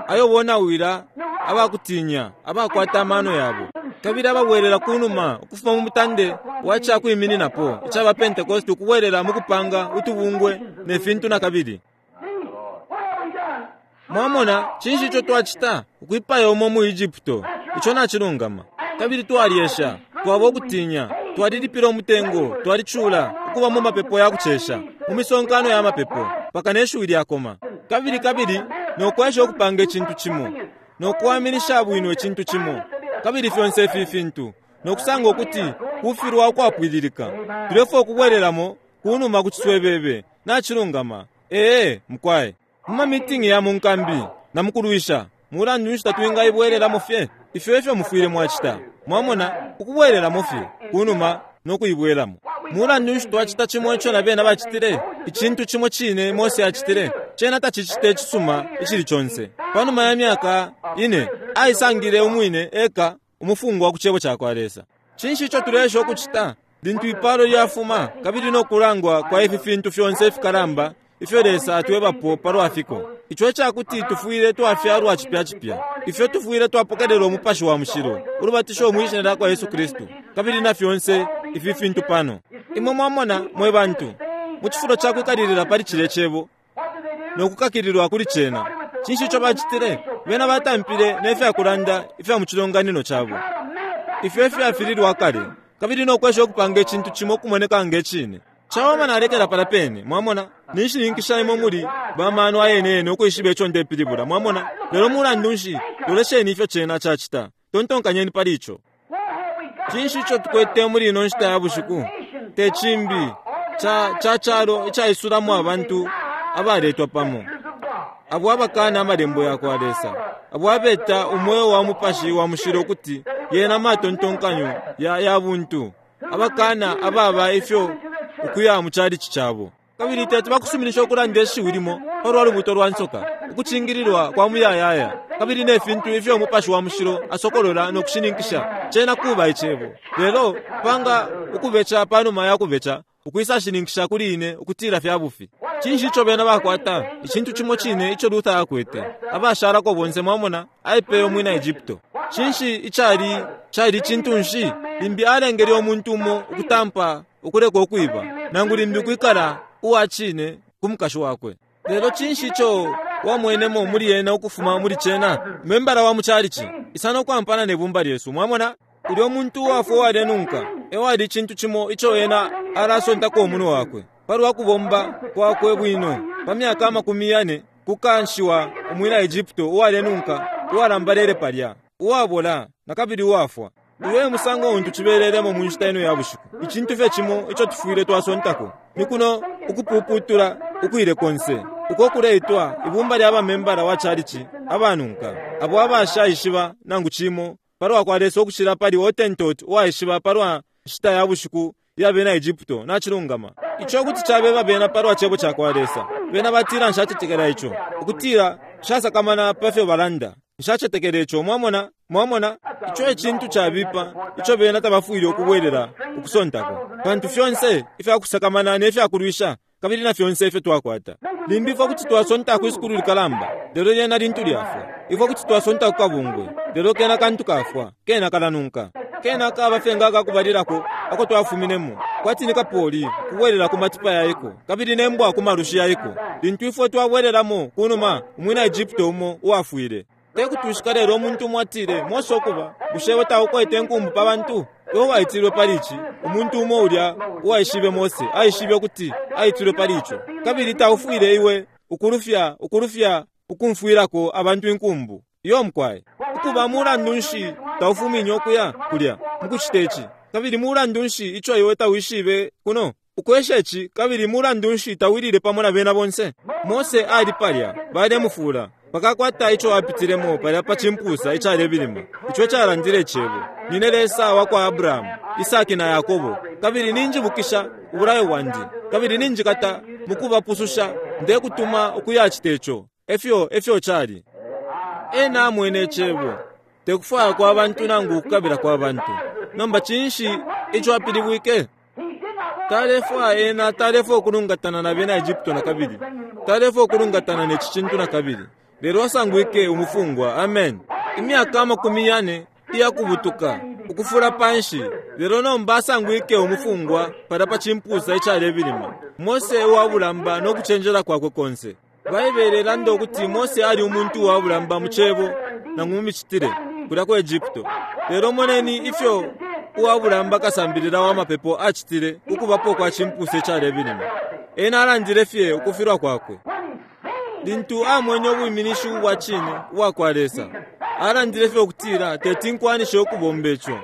ayo bonawila abakutinya, abakwata amano yabo, kabili ababwelela kunuma ukufuma mu mutande wa ca kwimininapo ica ba Pentecost ukubwelela mu kupanga utubungwe ne fintu nakabili. Mwamona, cinshi ico twacita? Ukwipaya umo mu Egypto. Ico nacilungama. Kabili twalyesha, twaba ukutinya, twalilipila umutengo, twalicula, ukuba mu mapepo ya kucesha, mu misonkano ya mapepo, mpaka ne shiwi lyakoma. Kabili, kabili no kwesha ukupanga icintu cimo, no kuwaminisha bwino icintu cimo, kabili fyonse ifi fintu, no kusanga ukuti kufilwa ukwapwililika. Tulefwaya ukubwelelamo kunuma ku ciswebebe. Nacilungama. Ee, mukwai. Mu mamitingi ya mu nkambi na mu kulwisha, mulandu nshi tatwingaibwelelamo fye? Ifyo efyo mufwile mwacita, mwamona, ukubwelelamo fye kunuma no kuibwelamo. Mulandu nshi twacita cimo ico na bena bacitile, icintu cimo cine Mose acitile? Cena tacicita icisuma icili conse. Panuma ya myaka ine, aisangile umwine eka umufungwa ku Cebo cakwa Lesa. Cinshi ico tuleesha ukucita? Lintu ipalo lyafuma, kabili no kulangwa kwa ifi fintu fyonse ifikalamba ifyo Lesa atwebapo palwa fiko, ico icakuti tufwile twafyalwa cipya cipya, ifyo tufwile twapokelela Umupashi wa Mushilo, ulubatisho mwi Shina lyakwa Yesu Kristu, kabili na fyonse ifi fintu pano. Imwe mwamona, mwe bantu, mu cifulo ca kwikalilila pali cilye Cebo no kukakililwa kuli Cena, cinshi ico bacitile? Bena batampile ne fyakulanda ifya mu cilonganino cabo, ifyo ifyafililwa kale, kabili no kwesha ukupanga icintu cimo ukumoneka nge Cine. Cawama nalekela palya pene, mwamona. Ninshininkisha imwe muli ba mano ayene yene ukwishiba ico ndepilibula, mwamona. Lelo mulandu nshi, lolesheni ifyo cena cacita. Tontonkanyeni pali ico. Cinshi ico tukwete muli ino nshita ya bushiku? Te cimbi, ca, ca calo icaisulamo abantu abaletwa pamo, abo abakana Amalembo yakwa Lesa, abo abeta umweo wa Mupashi wa Mushilo ukuti yena matontonkanyo ya, ya buntu, abakana ababa ifyo ukuya mu chalichi cabo. Kabili teti bakusuminisha ukulanda ishiwi limo palwa lubuto lwa nsoka, ukucingililwa kwa muyayaya, kabili ne fintu ifyo Umupashi wa Mushilo asokolola no kushininkisha cena kuba Icebo. Lelo panga ukubeca panuma ya kubeca, ukwisashininkisha kuli ine ukutila fya bufi. Cinshi ico bena bakwata? Icintu cimo cine ico Luther akwete. Abashalako bonse, mwamona, aipeye umwina Egypto. Cinshi icali, cali cintu nshi? Limbi alengele umuntu umo ukutampa ukuleka ukwiba, nangu limbi ukwikala uwa cine ku mukashi wakwe. Lelo cinshi ico wamwenemo muli ena ukufuma muli cena? Membala wa mu chalichi, isa no kwampana ne bumba lyesu. Mwamona? Ulyo muntu uwafwa uwalenunka ewali icintu cimo ico ena alasontako umunwe wakwe palwa kubomba kwakwe bwino pa myaka 40, kukanshiwa umwina Egypto uwalenunka uwalambalele palya, uwabola nakabili uwafwa. Uyo e musango untu cibelelemo mu nshita ino ya bushiku. Icintu fye cimo ico tufwile twasontako ni kuno ukupuputula ukwile konse uko kuleitwa ibumba lya bamembala wa chalichi abanunka, abo abashaishiba nangu cimo palwa kwa Lesa ukucila pali Hottentot uwaishiba palwa nshita ya bushiku iya bena Egypto. Nacilungama. Ico kuti cabeba bena palwa Cebo cakwa Lesa. Bena batila, Nshacetekela ico. Ukutila, Nshasakamana pafyo balanda. Nshacetekela ico. Mwamona? Mwamona? Ico e cintu cabipa ico bena tabafwile ukubwelela ukusontako, pantu fyonse ifya kusakamana ne fya kulwisha kabili na fyonse ifyo twakwata. Limbi ifwe kuti twasonta kwi sukulu likalamba, lelo lyena lintu lyafwa. Ifwe kuti twasonta ku kabungwe, lelo kena kantu kafwa, kena kalanunka. Kena kaba fye nga akakubalilako ako twafuminemo, kwati ni kapoli kubwelela ku matipa yaiko kabili ne mbwa ku malushi yaiko. Lintu ifwe twabwelelamo kunuma, umwina Egypto umo uwafwile. Te kutwishika lelo umuntu umo atile, Mose ukuba, bushe iwe taukwete inkumbu pa bantu? Iwe waitilwe pali ici. Umuntu umo ulya uwaishibe Mose aishibe ukuti aitilwe pali ico. Kabili taufwile iwe ukulufya, ukulufya ukumfwilako abantu inkumbu. Iyo mukwai. Ukuba, mulandu nshi taufumine ukuya kulya mukucita ici? Kabili mulandu nshi ico iwe tawishibe kuno ukwesha ici? Kabili mulandu nshi tawilile pamo na bena bonse? Mose ali palya, balemufula pakakwata ico apitilemo palya pa cimpusa icalebilima, ico icalandile Icebo, Nine Lesa wa kwa Abrahamu, Isaki na Yakobo, kabili ninjibukisha ubulayo bwandi, kabili ninjikata mukubapususha, ndekutuma ukuyacita ico. Efyo, efyo cali. Ena amwene Icebo, te kufwaya kwa bantu nangu ukukabila kwa bantu. Nomba cinshi ico apilibwike? Talefwaya ena talefwaya ukulungatana na bena Egypto nakabili. Talefwaya ukulungatana ne ci cintu nakabili. Lelo asangwike umufungwa. Amen. Imyaka 40 iyakubutuka, ukufula panshi, lelo nomba asangwike umufungwa palya pa cimpusa icalebilima. Mose uwa bulamba no kucenjela kwakwe konse. Baibele ilanda ukuti Mose ali umuntu uwa bulamba mu cebo nangu mu micitile, kulya ku Egypto. Lelo moneni ifyo uwa bulamba kasambilila wa mapepo acitile ku kubapo kwa cimpusa icalebilima. Ena alandile fye ukufilwa kwakwe. Lintu amwene ubwiminishi ubwa cine ubwa kwa Lesa, alandile fye ukutila teti nkwanishe ukubomba ico.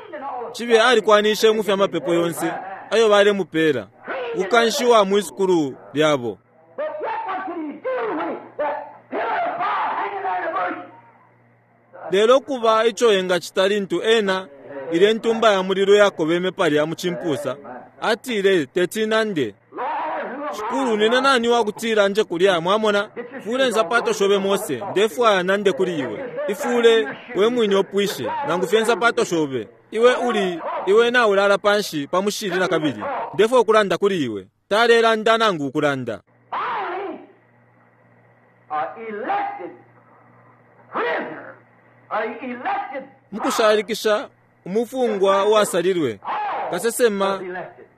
Cibe alikwanishe mu fya mapepo yonse ayo balemupela, ukukanshiwa mwi sukulu lyabo. But yet what could he do when he, that pillar of fire hanging there in the bush? Lelo kuba ico engacita lintu ena, ilye Ntumba ya Mulilo yakobeme palya mu cimpusa, atile, Teti nande. Lord, who am I? Shikulu, nine nani wakutila nje kulya? Mwamona? Fule nsapato shobe, Mose. Ndefwaya nande kuli iwe. Ifule we mwine upwishe, nangu fye nsapato shobe. Iwe uli, iwe naulala panshi pa mushili nakabili. Ndefwaya ukulanda kuli iwe. Talelanda nangu ukulanda. Finally, a elected prisoner, a elected Mukushalikisha, umufungwa uwasalilwe, kasesema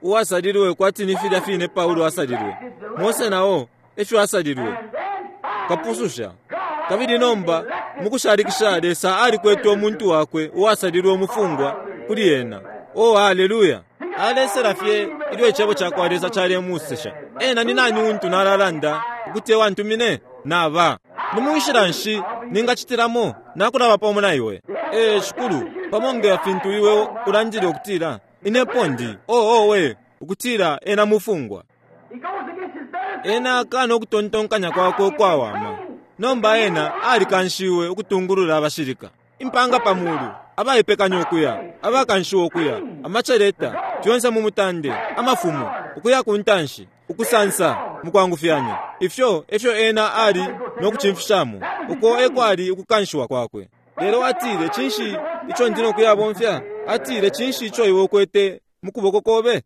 uwasalilwe kwati ni filya fine Paulo asalilwe, Mose nao efyo asalilwe, and then finally, kapususha. Kabili nomba mukushalikisha Lesa alikwete umuntu wakwe uwasalilwe umufungwa kuli ena. Oh, haleluya! Alesela fye ilyo icebo ca kwa Lesa calemusesha. Ena ni nani untu nalalanda ukuti ewantumine? Naba. Ni munshila nshi ningacitilamo nakulaba pamo na iwe? Ee, Shikulu, pamo nga fintu iwe ulandile ukutila, Ine epo ndi, oh, owe, ukutila ena mufungwa. he goes against his better Ena akana ukutontonkanya kwakwe ukwawama. Nomba ena alikanshiwe ukutungulula abashilika. Impanga pa mulu, abaipekanya ukuya, abakanshiwa ukuya, amaceleta, fyonse mu mutande, amafumo, ukuya ku ntanshi, ukusansa mukwangufyanya. Ifyo efyo ena ali no kucimfishamo. Uko ekwali ukukanshiwa kwakwe. Lelo atile, Cinshi ico ndi no kuyabomfya? Atile, Cinshi ico iwe ukwete mu kuboko kobe?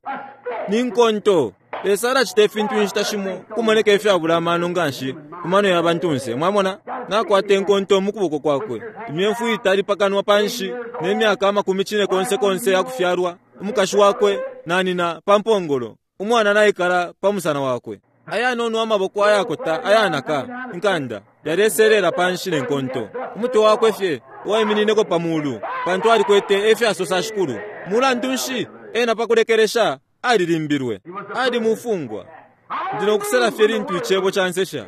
Ni nkonto. Lesa alacita ifintu inshita shimo kumoneka ifyabula amano nganshi ku mano ya bantunse. Mwamona? Nakwata inkonto mu kuboko kwakwe, imyemfu itali pa kanwa panshi, ne myaka 50 konse yakufyalwa, umukashi wakwe nanina pa mpongolo, umwana naikala pa musana wakwe. Ayanono amaboko ayakota ayanaka inkanda yaleselela panshi ne nkonto. Umutwe wakwe fye uwaiminineko pa mulu, pantu alikwete efyasosa shikulu. Mulandu nshi ena pakulekelesha alilimbilwe? Ali mufungwa. Ndi nokusela fye lintu icebo cansesha.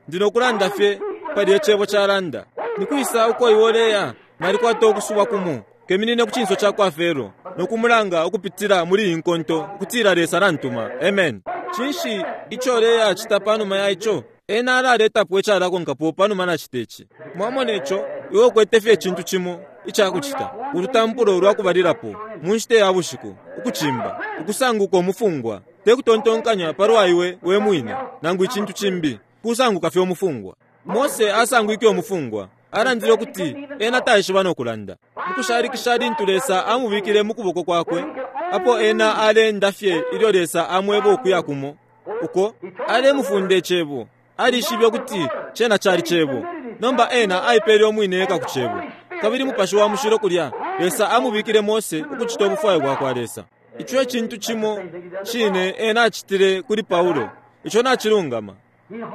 Ndi nokulanda fye palya icebo calanda. Nikwisa uko iwe uleya? Nalikwata ukusubwa kumo. Keminine ku cinso cakwa Fero no kumulanga ukupitila muli iyi nkonto ukutila Lesa nantuma. Amen. Cinshi ico uleya cita panuma ya ico? Ena alaletapo icalakonkapo panuma nacita ici. Mwamona ico? Iwe ukwete fye icintu cimo icakucita. Ulutampulo lwa kubalilapo, mu nshita ya bushiku, ukucimba, ukusanguka umufungwa, te kutontonkanya palwa iwe we mwine, nangu icintu cimbi, kusanguka fye umufungwa. Mose asangwike umufungwa. Alandile ukuti ena taishiba no kulanda. Mukushalikisha lintu Lesa amubikile mu kuboko kwakwe, apo ena aleenda fye ilyo Lesa amweba ukuya kumo, uko alemufunda icebo. Alishibe ukuti cena cali Cebo. Nomba ena aipele umwine eka ku Cebo. Kabili Mupashi wa Mushilo kulya, Lesa amubikile Mose ukucita ubufwayo bwakwa Lesa. Ico e cintu cimo cine ena acitile kuli Paulo. Ico nacilungama.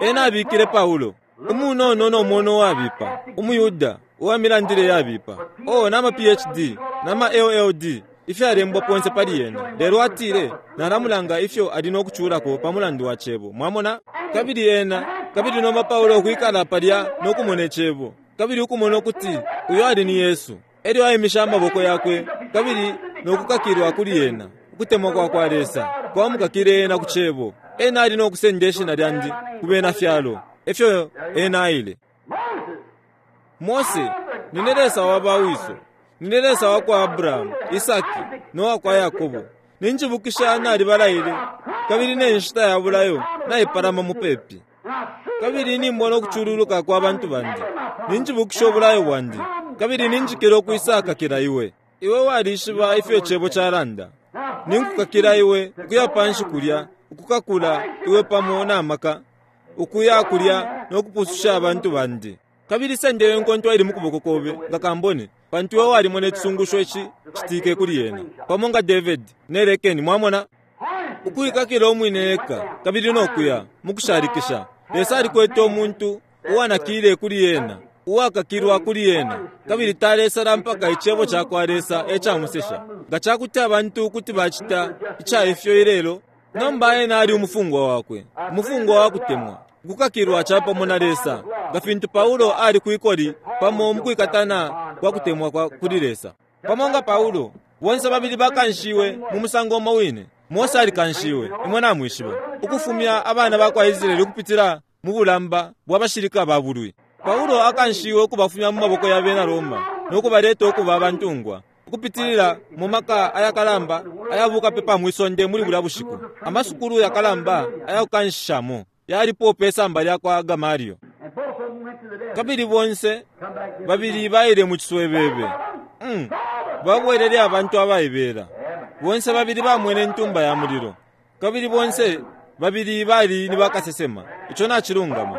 Ena abikile Paulo, umunono no mwono uwabipa, umuYuda, uwa milandile yabipa, oh, nama PhD, nama LLD, ifyalembwa ponse pali ena. Lelo atile, Nalamulanga ifyo ali no kuculako pa mulandu wa Cebo. Mwamona? Kabili ena, kabili nomba Paulo ukwikala palya no kumona Icebo, kabili ukumona ukuti uyo ali ni Yesu. Elyo aimishe amaboko yakwe kabili no kukakilwa kuli ena. Ukutemwa kwa kwa Lesa kwamukakile ena ku Cebo. Ena ali no kusenda Ishina Lyandi ku bena Fyalo. Efyo ena aile. Mose, Nine Lesa wa ba wiso. Nine Lesa wa kwa Abrahamu, Isaki, no wa kwa Yakobo. Ninjibukisha nalibalaile, kabili ne nshita ya bulayo naipalama mupepi. Kabili nimbona ukucululuka kwa bantu bandi. Ninjibukisha ubulayo bwandi, kabili ninjikila ukwisa kakila iwe. Iwe walishiba ifyo Icebo calanda. Ninkukakila iwe ukuya panshi kulya, ukukakula iwe pamo na maka, ukuya kulya no kupususha abantu bandi. Kabili senda iyo nkonto ili mu kuboko kobe nga kambone, pantu iwe walimona icisungusho ici citike kuli yena, pamo nga David ne lekeni. Mwamona? Ukuikakila umwine eka kabili no kuya mukushalikisha. Lesa alikwete umuntu uwanakile kuli ena, uwakakilwa kuli ena, kabili talesala mpaka Icebo cakwa Lesa e camusesha. Nga cakuti abantu kuti bacita ica ifyo ilelo! Nomba ena ali umufungwa wakwe, umufungwa wa kutemwa, ukukakilwa capamo na Lesa, nga fintu Paulo ali kwikoli pamo mukwikatana kwa kutemwa kwa kuli Lesa. Pamo nga Paulo, bonse babili bakanshiwe mu musango umo wine. Mose alikanshiwe, imwe namwishiba, ukufumya abana ba kwa Israele ukupitila mu bulamba bwa bashilika ba bulwi. Paulo akanshiwe ukubafumya mu maboko ya bena Roma no kubaleta ukuba abantungwa, ukupitilila mu maka ayakalamba aya bukapepa mwi sonde muli bulya bushiku. Amasukulu yakalamba aya kukanshishamo yalipo pe samba lya kwa Gamalio. Kabili bonse babili baile mu ciswebebe. Mm, babwelele abantu abaibela. Bonse babili bamwene intumba ya mulilo. Kabili bonse babili bali ni bakasesema. Ico nacilungama.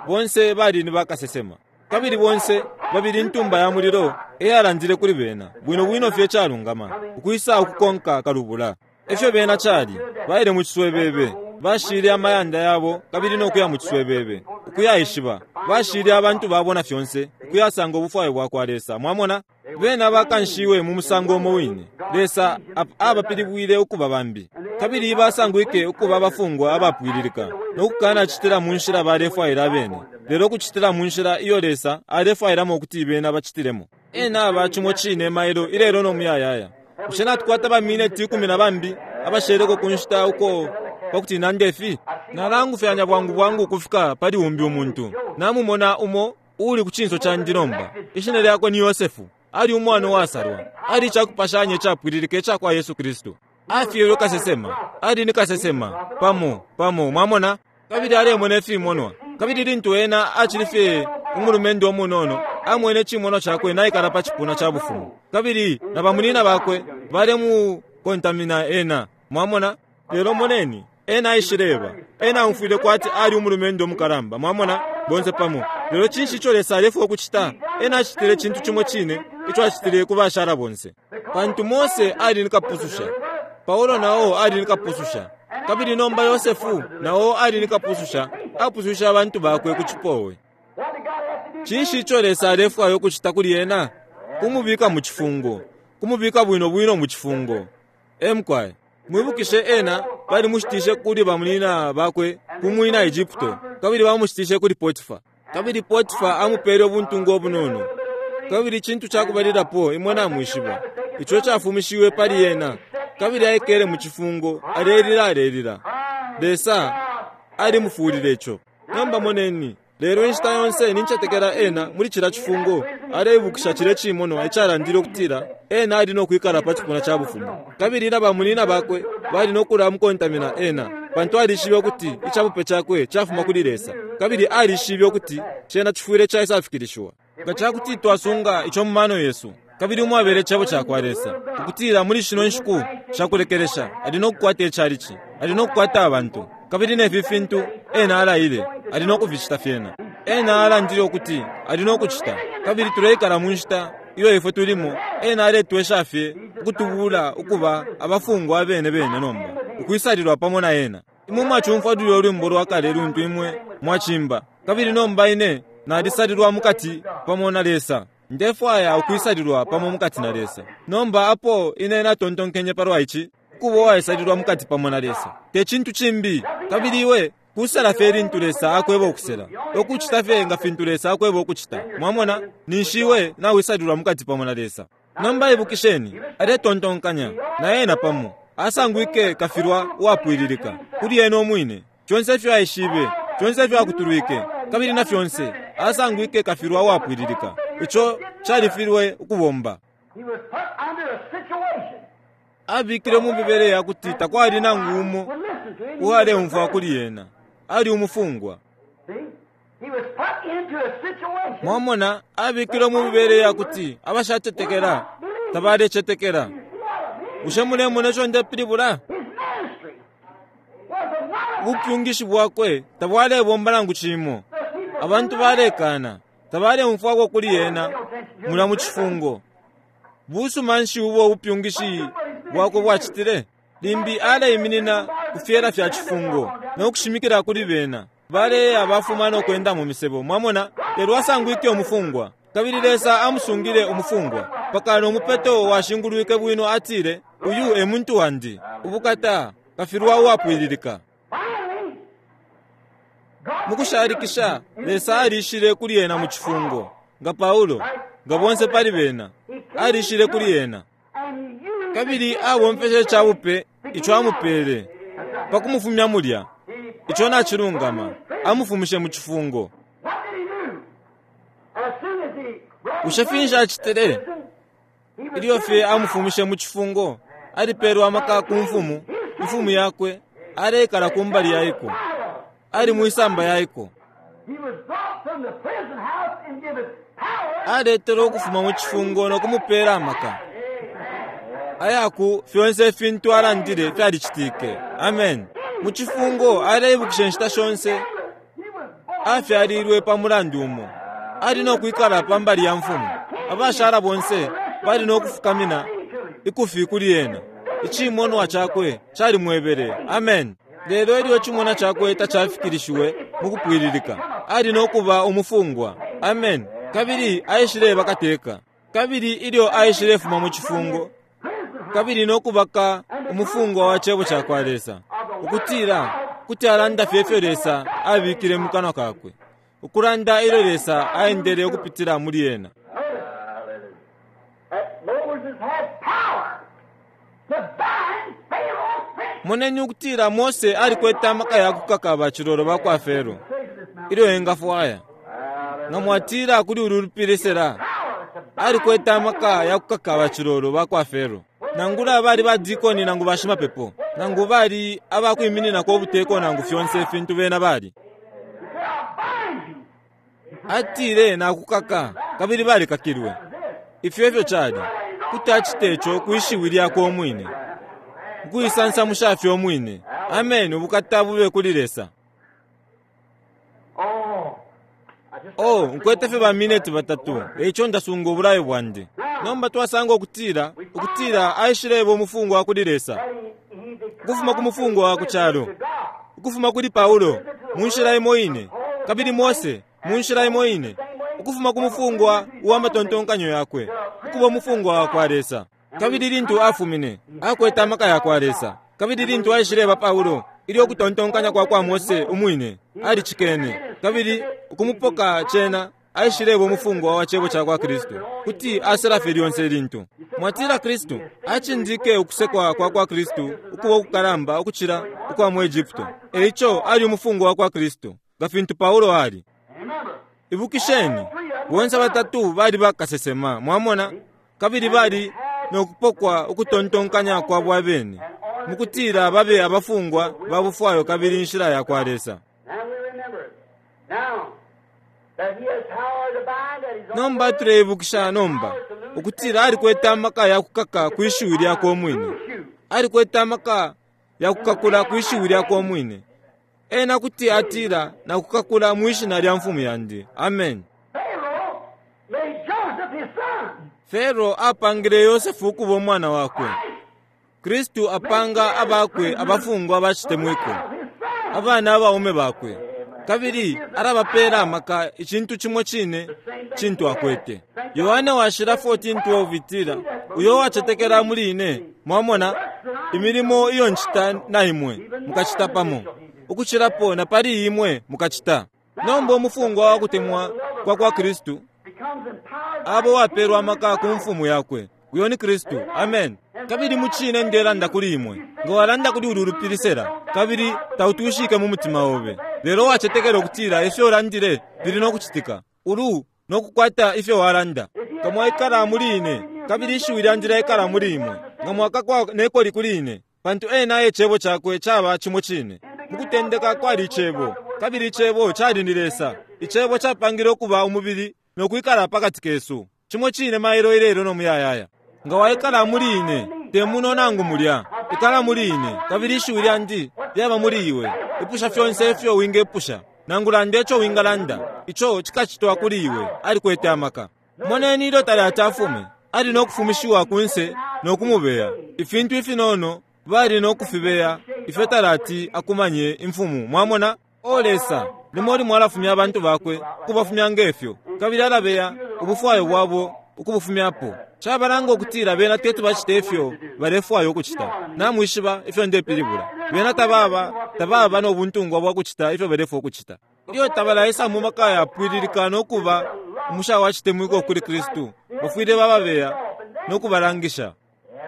Bonse bali ni bakasesema. Kabili bonse babili intumba ya mulilo eyalandile kuli bena, bwino bwino fye icalungama, ukwisa ukukonka kalubula. Efyo bena cali, baile mu ciswebebe, bashile amayanda yabo kabili no kuya mu ciswebebe, ukuyaishiba, bashile abantu babo na fyonse, ukuyasanga ubufwayo bwakwa Lesa. Mwamona? Bena bakanshiwe mu musango umo wine. Lesa abapilibwile ukuba bambi. Kabili basangwike ukuba abafungwa abapwililika, no kukanacitila mu nshila balefwaila abene, lelo ukucitila mu nshila iyo Lesa alefwailamo ukuti bena bacitilemo. Ena aba cimo cine mailo, ilelo no muyayaya. Bushe natukwata ba mineti ikumi na bambi abasheleko ku nshita uko pa kuti nande fi? Nalangufyanya bwangu bwangu ukufika pali umbi umuntu. Namumona umo uuli ku cinso candi nomba. Ishina lyakwe ni Yosefu. Ali umwana uwasalwa. Ali icakupashanya icapwililika ica kwa Yesu Kristu. Afyelwe kasesema. Ali ni kasesema, pamo, pamo, mwamona, kabili alemona ifimonwa. Kabili lintu ena acili fye umulumendo umunono, amwene icimonwa cakwe naikala pa cipuna ca bufumu, kabili na bamunina bakwe balemukontamina ena. Mwamona? Lelo moneni, ena aishileba, ena aumfwile kwati ali umulumendo umukalamba, mwamona, bonse pamo. Lelo cinshi ico Lesa alefwaya ukucita? Ena acitile icintu cimo cine ico acitile ku bashala bonse. Pantu Mose ali ni kapususha, Paulo na o ali ni kapususha, kabili nomba Yosefu na o ali ni kapususha, apususha abantu bakwe ku cipowe. Cinshi ico Lesa alefwaya ukucita kuli ena? Kumubika mu cifungo, kumubika bwino bwino mu cifungo. E mukwai. Mwibukishe ena balimushitishe kuli bamunina bakwe ku mwina Egypto, kabili bamushitishe kuli Potifa. Kabili Potifa amupele ubuntungwa ubunono. Kabili icintu cakubalilapo imwe namwishiba, ico cafumishiwe pali ena, kabili aikele mu cifungo, alelila alelila. Lesa alimufuulile ico. Nomba moneni. Lelo inshita yonse nincetekela ena muli cilya cifungo aleibukisha cilye cimonwa icalandile ukutila ena ali no kwikala pa cipuna ca bufumu, kabili na bamunina bakwe bali no kulamukontamina ena, pantu alishibe ukuti icabupe cakwe cafuma kuli Lesa, kabili alishibe ukuti cena cifwile caisafikilishiwa. Nga ca kuti twasunga ico mu mano yesu, kabili umwabela Icebo cakwa Lesa, ukutila muli shino nshiku sha kulekelesha Ali no kukwata icalici, Ali no kukwata abantu, kabili ne fi fintu Ena alaile. Ali no kuficita fyena. Ena alandile ukuti Ali no kucita. Kabili tuleikala mu nshita iyo ifwe tulimo, Ena aletwesha fye ukutubula ukuba abafungwa abene bene nomba, ukwisalilwa pamo na Ena. Imwe mwacumfwa lulyo lwimbo lwa kale luntu imwe mwacimba, Kabili nomba ine nalisalilwa mukati pamo na Lesa. Ndefwaya ukwisalilwa pamo mukati na Lesa. Nomba apo ine natontonkenye palwa ici, ukuba uwaisalilwa mukati pamo na Lesa, te cintu cimbi. Kabili iwe kusela fye lintu Lesa akweba ukusela, ukucita fye nga fintu Lesa akweba ukucita. Mwamona? Ninshi iwe nawisalilwa mukati pamo na Lesa. Nomba ibukisheni, aletontonkanya, na ena pamo, asangwike kafilwa uwapwililika, kuli ena umwine. Fyonse ifyo aishibe, fyonse ifyo akutulwike, kabili na fyonse, asangwike kafilwa uwapwililika. Ico califilwe ukubomba. Abikile mu mibele ya kuti takwali nangu umo uwaleumfwa kuli ena. Ali umufungwa. Mwamona, abikilwe mu mibele ya kuti abashacetekela tabalecetekela. Bushe mulemona ico ndepilibula? Ubupyungishi bwakwe tabwalebomba nangu cimo. Abantu balekana, tabaleumfwako kuli ena mulya mu cifungo. Busuma nshi ubo ubupyungishi bwakwe bwacitile? Limbi aleiminina ku fyela fya cifungo no kushimikila kuli bena. Baleya bafuma no kwenda mu misebo, mwamona, lelo asangwike umufungwa. Kabili Lesa amusungile umufungwa mpaka no mupeto washingulwike bwino, atile, Uyu e muntu wandi. Ubukata! Kafilwa uwapwililika. Mukushalikisha, Lesa alishile kuli ena mu cifungo, nga Paulo, nga bonse pali bena, alishile kuli ena. Kabili abomfeshe icabupe ico amupele pa kumufumya mulya. Ico nacilungama, amufumishe mu cifungo. Bushe finshi acitile? Ilyo fye amufumishe mu cifungo, alipelwe amaka ku mfumu, imfumu yakwe, aleikala ku mbali ya iko. Ali mwisamba ya iko. Aletelwe ukufuma mu cifungo no kumupela amaka ayaku fyonse ifintu alandile fyalicitike. Amen. Mu cifungo aleibukisha inshita shonse afyalilwe pa mulandu umo. Ali no kwikala pa mbali ya mfumu. Abashala bonse bali no kufukamina ikufi kuli ena. Icimonwa cakwe calimwebele. Amen. Lelo ilyo icimonwa cakwe tacafikilishiwe mukupwililika, ali no kuba umufungwa. Amen. Kabili aishileba kateka. Kabili ilyo aishilefuma mu cifungo, kabili no kubaka umufungwa wa Cebo cakwa Lesa, ukutila kuti alanda fye ifyo Lesa abikile mu kanwa kakwe, ukulanda ilyo Lesa aendele ukupitila muli ena. Moneni ukutila Mose alikwete amaka ya kukaka bacilolo ba kwa Fero ilyo engafwaya. Nga mwatila kuli ulu lupili sela, alikwete amaka ya kukaka bacilolo ba kwa Fero. Nangula bali ba dikoni nangu bashimapepo, nangu bali abakwimininako ubuteko nangu fyonse ifintu bena bali. Atile nakukaka, kabili balikakilwe. Ifyo efyo cali. Kuti acita ico kwi shiwi lyakwe umwine, ukuisansamusha fye umwine. Ameni! Ubukata bube kuli Lesa! Oh, nkwete fye ba mineti batatu, eico ndasunga ubulayo bwandi. Nomba twasanga ukutila, ukutila aishileba umufungwa wa kuli Lesa, ukufuma ku mufungwa wa ku calo, ukufuma kuli Paulo, mu nshila imo ine, kabili Mose, mu nshila imo ine, ukufuma ku mufungwa uwa matontonkanyo yakwe, ukuba umufungwa wakwa Lesa. Kabili lintu afumine, akwete amaka yakwa Lesa. Kabili lintu aishileba Paulo, ilyo ukutontonkanya kwa kwa Mose umwine, alicikene, kabili ukumupoka cena, aishileba umufungwa wa Cebo cakwa Kristu. Kuti asela fye lyonse lintu mwatila Kristu, acindike ukusekwa kwa kwa Kristu ukuba ukukalamba ukucila ukwa mu Egupto. E ico ali umufungwa wa kwa Kristu, nga fintu Paulo ali. Ibukisheni, bonse batatu bali bakasesema, mwamona, kabili bali no kupokwa ukutontonkanya kwabo abene, mukutila babe abafungwa ba bufwayo kabili inshila ya kwa Lesa. Nomba tuleibukisha nomba ukutila alikwete amaka ya kukaka kwi shiwi lyakwe umwine. Alikwete amaka ya kukakula kwi shiwi lyakwe umwine. Ena kuti atila, Nakukakula mwi Shina lya Mfumu yandi. Ameni. Pharaoh made Joseph his son. Fero apangile Yosefu ukuba umwana wakwe. Kristu apanga abakwe abafungwa abacitemwiko, abana abaume bakwe, kabili alabapela amaka icintu cimo cine cintu akwete. Yohane Washila 14:12 itila, Uyo uwacetekela muli ine, mwamona, imilimo iyo ncita na imwe mukacita pamo, ukucilapo na pali imwe mukacita. Nomba umufungwa wa kutemwa kwa kwa Kristu Becomes empowered by abo wapelwa amaka ku mfumu yakwe, uyo ni Kristu. Amen. Kabili mucine ndelanda kuli imwe, nga walanda kuli ulu lupili sela, kabili tautushike mu mutima obe, lelo wacetekela ukutila ifyo ulandile fili no kucitika, ulu no kukwata ifyo walanda. Nga mwaikala muli ine, kabili ishiwi lyandi lyaikala muli imwe, nga mwakakwa ne koli kuli ine, pantu ena e cebo cakwe caba cimo cine. Mukutendeka kwali icebo, kabili icebo cali ni Lesa. Icebo capangile ukuba umubili no kwikala pakati kesu. Cimo cine mailo ilelo no muyayaya. Nga waikala muli ine, te muno nangu mulya, ikala muli ine, kabili ishiwi lyandi lyaba muli iwe. Ipusha fyonse ifyo wingepusha, nangu landa ico wingalanda, ico cikacitwa kuli iwe. Alikwete amaka. Moneni ilyo talati afume, ali no kufumishiwa kunse no kumubeya. Ifintu ifinono bali no kufibeya ifyo talati akumanye imfumu. Mwamona? O Lesa, limo limo alafumya abantu bakwe ukubafumya ngefyo, kabili alabeya ubufwayo bwabo ukubufumyapo. Cabalanga ukutila bena teti bacite ifyo balefwaya ukucita. Namwishiba ifyo ndepilibula. Bena tababa, tababa no buntungwa bwa kucita ifyo balefwaya ukucita. Ilyo tabalaisa mu maka yapwililika no kuba umusha wa citemwiko kuli Kristu, bafwile bababeya no kubalangisha.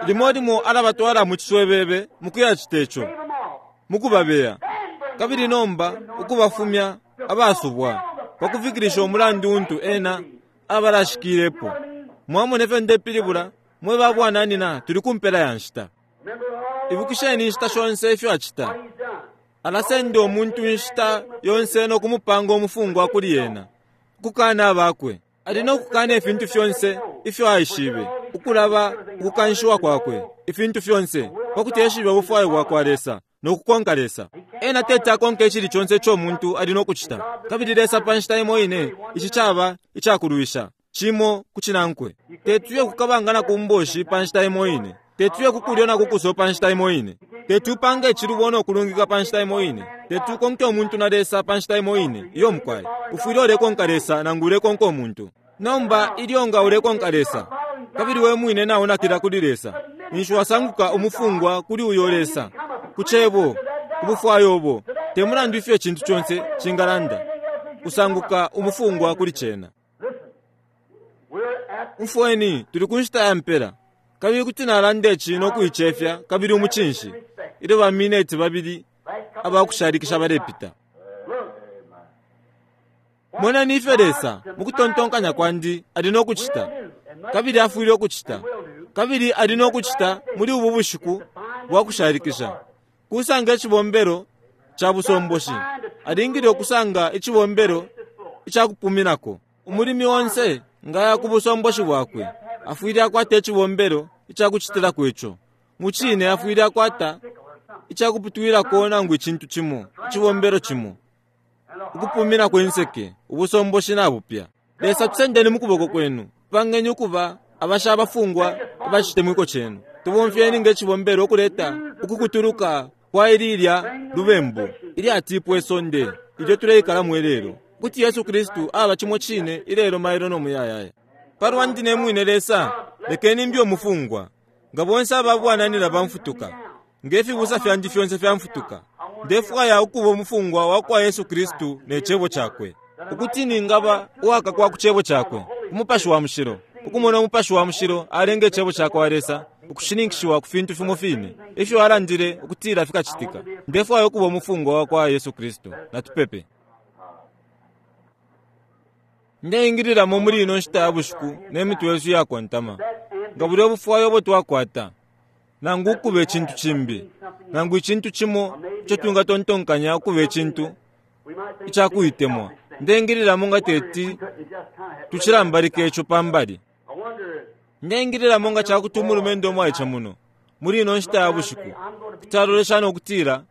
Limo limo alabatwala mu ciswebebe mu kuyacita ico, them off. mu kubabeya, kabili nomba ukubafumya abasubwa pa kufikilisha umulandu untu ena abalashikilepo. Mwamona ifyo ndepilibula, mwe ba bwananyina, tuli ku mpela ya nshita. Remember all Ibukisheni inshita shonse ifyo acita. he's done. Alasenda umuntu inshita yonse no kumupanga umufungwa kuli ena, ukukana abakwe. Ali no kukana ifintu fyonse ifyo aishibe, ukulaba ukukanshiwa kwakwe, ifintu fyonse, pakuti eshibe ubufwayo bwakwa Lesa no kukonka Lesa. Ena teti akonke icili conse ico umuntu ali no kucita. Kabili Lesa pa nshita imo ine, ici caba icakulwisha, cimo ku cinankwe. Tetuye kukabanga na kumboshi pa nshita imo ine. Tetuye kukulyo na kukuso pa nshita imo ine. Tetupange icilubo no kulungika pa nshita imo ine. Tetukonke umuntu na Lesa pa nshita imo ine. Iyo mukwai. Ufwile ulekonka Lesa nangu ulekonka umuntu. Nomba ilyo nga ulekonka Lesa, kabili we mwine naunakila kuli Lesa, ninshi wasanguka umufungwa kuli uyo Lesa, ku cebo, ku bufwayo ubo, te mulandu ifyo icintu conse cingalanda, usanguka umufungwa kuli cena. Listen, we're at Umfweni, tuli ku nshita ya mpela. Kabili kuti nalanda ici no kuicefya kabili umucinshi, ilyo ba mineti babili last couple abakushalikisha balepita. Look, Moneni ifyo Lesa, mu kutontonkanya kwandi, ali no kucita. Kabili afwile ukucita. Kabili ali no kucita muli ubu bushiku bwa kushalikisha. Kusanga icibombelo ca busomboshi. Alingile ukusanga icibombelo ica kupuminako. Umulimi onse ngaya ku busomboshi bwakwe, afwile akwata icibombelo ica kucitilako ico. Mucine afwile akwata ica kuputwilako nangu icintu cimo, icibombelo cimo. Ukupuminako inseke, ubusomboshi nabupya. Lesa tusendeni mu kuboko kwenu, pangeni ukuba abasha abafungwa abacitemwiko cenu. Tubomfyeni nge cibombelo ukuleta ukukutuluka kwa ililya lubembu ilyatipwa isonde ilyo tuleikalamo ilelo, ukuti Yesu Kristu aba cimo cine ilelo mailo no muyayaya. Palwandi ne mwine Lesa, lekeni mbe umufungwa, nga bonse aba bwananyina bamfutuka, nge fibusa fyandi fyonse fyamfutuka. Ndefwaya ukuba umufungwa wa kwa Yesu Kristu ne cebo cakwe, ukuti ningaba uwakakwa ku cebo cakwe, Umupashi wa Mushilo. Ukumona Umupashi wa Mushilo alenga icebo ca kwa Lesa ukushininkishiwa ku fintu fimo fine ifyo alandile ukutila fikacitika. Ndefwaya ukuba umufungwa wa kwa Yesu Kristu. Natupepe. Ndeingililamo muli ino nshita ya bushiku ne mitwe yesu iyakontama, nga bulya ubufwayo ubo twakwata, nangu ukuba icintu cimbi, nangu icintu cimo ico twingatontonkanya ukuba icintu we might think icakuitemwa. Ndeingililamo nga teti we couldn't just kind of tucilambalike ico pambali. I wonder Ndeingililamo nga cakuti umulumendo umwaice muno muli ino nshita ya bushiku kuti alolesha no kutila,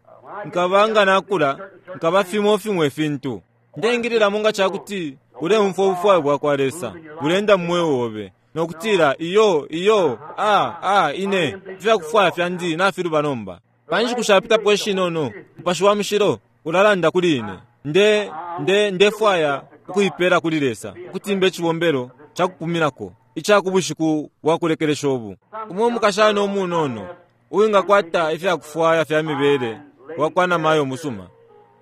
nkaba nga nakula, Nkaba fimo fimo ifintu. Ndeingililamo nga ca kuti uleumfwa ubufwayo bwakwa Lesa buleenda mu mweo obe, no kutila, Iyo, iyo, a, a, ine, ifyakufwaya fyandi nafiluba nomba. Pa nshiku shapitapo ishinono, Mupashi wa Mushilo ulalanda kuli ine. Nde, nde, ndefwaya ukuipela kuli Lesa, ukuti mbe icibombelo ca kupuminako ica ku bushiku bwa kulekelesha ubu. Umo umukashana umunono uwingakwata ifyakufwaya fya mibele wakwa namayo umusuma,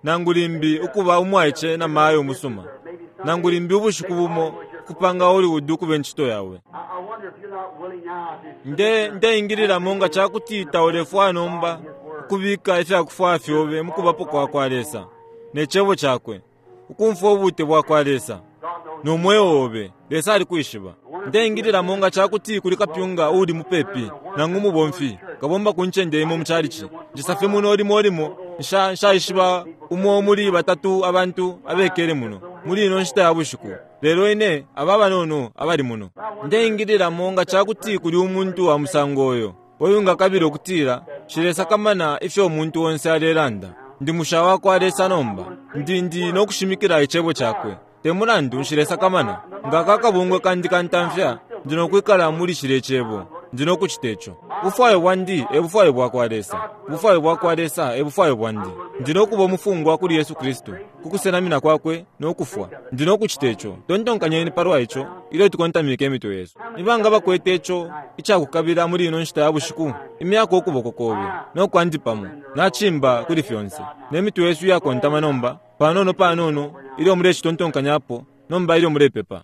nangu limbi ukuba umwaice namayo umusuma, nangu limbi ubushiku bumo ukupanga Hollywood ukuba incito yawe. Nde, ndeingililamo nga cakuti taulefwaya nomba ukubika ifyakufwaya fyobe mukubapo kwakwa Lesa ne Cebo Cakwe, ukumfwa ubute bwakwa Lesa no mweo obe. Lesa alikwishiba. Ndeingililamo nga cakuti kuli kapyunga uuli mupepi, nangu umubomfi, kabomba ku ncende imo mu chalichi. Njisa fye muno limo limo, nsha, nshaishiba umo muli batatu abantu abekele muno muli ino nshita ya bushiku, lelo ine, aba abanono abali muno. Ndeingililamo nga cakuti kuli umuntu wa musango uyo, uyo ungakabila ukutila, Nshilesakamana ifyo umuntu onse alelanda. Ndi musha wakwa Lesa nomba. Ndi, ndi no kushimikila Icebo Cakwe. Te mulandu, nshilesakamana. Nga aka kabungwe kandi kantamfya, ndi no kwikala muli cilye Cebo. Ndi no kucite co. Ubufwayo bwandi e bufwayo bwakwa Lesa. Ubufwayo bwakwa Lesa e bufwayo bwandi. Ndi no kuba umufungwa kuli Yesu Kristu, ku kusenamina Kwakwe no kufwa. Ndi no kucite co. Tontonkanyeni palwa ico ilyo tukontamike imitwe yesu. Ni banga abakwete ico icakukabila muli ino nshita ya bushiku? Imyako ukuboko kobe no kwandi pamo. Nacimba kuli fyonse. Ne mitwe yesu iyakontama nomba, panono panono, ilyo mulecitontonkanyapo nomba ilyo mulepepa.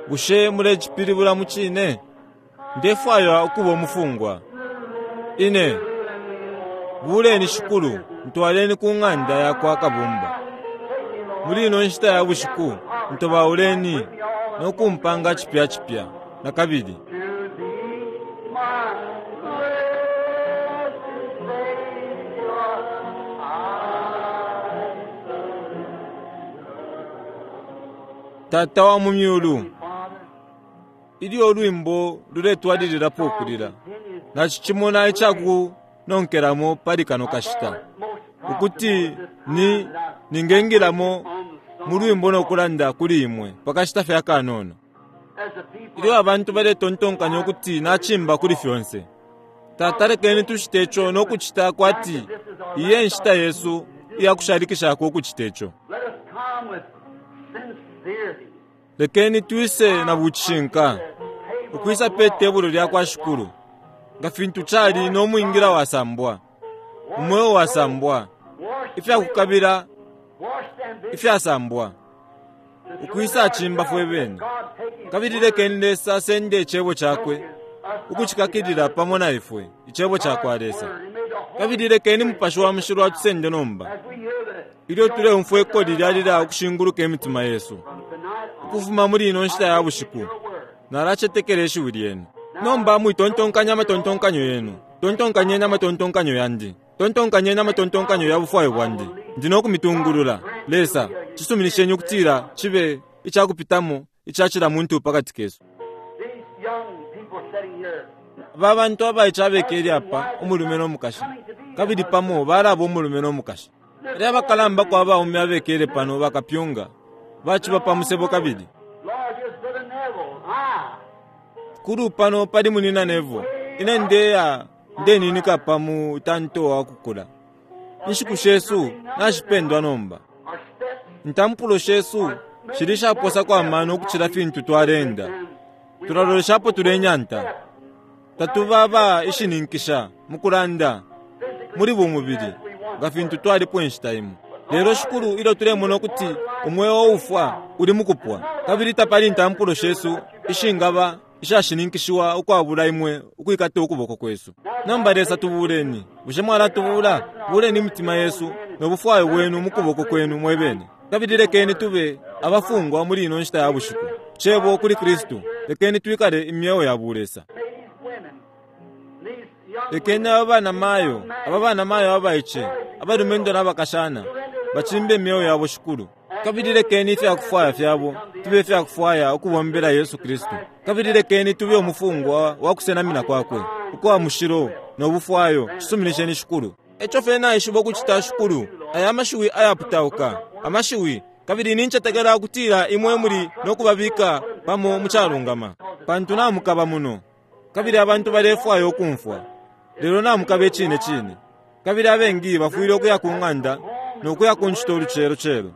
Bushe mulecipilibula mucine? Ndefwaya ukuba umufungwa. Ine. Buleni Shikulu, ntwaleni ku ng'anda yakwa Kabumba. Muli ino nshita ya bushiku, ntobauleni no kumpanga cipya cipya nakabili. Tata wa mu Myulu, ilyo ulwimbo luletwalililapo ukulila, nacicimona icakunonkelamo pali kano kashita, ukuti ni, ningengilamo mu lwimbo no kulanda kuli imwe pa kashita fye akanono. Ilyo abantu baletontonkanya ukuti nacimba kuli fyonse, Tata, lekeni tucite ico no kucita kwati iyi e nshita yesu iya kushalikishako ukucite ico. Lekeni twise na bucishinka, ukwisa pe tebulo lya kwa Shikulu, nga fintu cali no mwingila wasambwa, umweo wasambwa, ifyakukabila ifyasambwa, ukwisa cimba fwe bene. Kabili lekeni Lesa asende Icebo Cakwe ukucikakilila pamo na ifwe, Icebo cakwa Lesa. Kabili lekeni Mupashi wa Mushilo atusende nomba, ilyo tuleumfwa ikoli lyalila ukushinguluka imitima yesu. Ukufuma muli ino nshita ya bushiku, nalacetekela Ishiwi Lyenu. Nomba mwitontonkanya amatontonkanyo yenu, tontonkanyeni amatontonkanyo yandi, tontonkanyeni amatontonkanyo ya bufwayo bwandi. Ndi no kumitungulula. Lesa, cisuminisheni ukutila cibe icakupitamo ica cila muntu pakati kesu. Aba bantu abaice abekele apa, umulume no mukashi, kabili pamo balaba umulume no mukashi. Elyo abakalambako abaume abekele pano bakapyunga, baciba pa musebo kabili. Kulu pano pali Munyina Neville. Ine ndeya ndeninika pa mutanto wa kukula. Inshiku shesu nashipendwa nomba. Intampulo shesu shili ishaposako amano ukucila fintu twaleenda. Tulalolesha apo tulenyanta. Tatuba aba ishininkisha mukulanda muli bumubili nga fintu twalipo inshita imo. Lelo, Shikulu, ilyo tulemona ukuti umweo uufwa uli mukupwa, kabili tapali intampulo shesu ishingaba ishashininkishiwa ukwabula Imwe ukwikata ukuboko kwesu. Nomba, Lesa, tubuleni. Bushe Mwalatubula? Buleni imitima yesu no bufwayo bwenu mukuboko Kwenu mwebene, kabili lekeni tube abafungwa muli ino nshita ya bushiku, Cebo kuli Kristu. Lekeni twikale imyeo ya bulesa. Lekeni aba banamayo, aba banamayo abaice, abalumendo na bakashana, bacimbe imyeo yabo, Shikulu. Kabili lekeni ifyakufwaya fyabo fibe ifyakufwaya ukubombela Yesu Kristu. Kabili lekeni tube umufungwa wa kusenamina kwakwe ukwa mushilo no bufwayo. Cisuminisheni, Shikulu. Eco fye naishiba ukucita, Shikulu, aya mashiwi ayaputauka, amashiwi, kabili nincetekela ukutila imwe muli no kubabika pamo mu calungama, pantu namukaba muno, kabili abantu balefwaya ukumfwa, lelo namukaba icine cine. Kabili abengi bafwile ukuya ku ng'anda no kuya ku ncito ulucelo celo.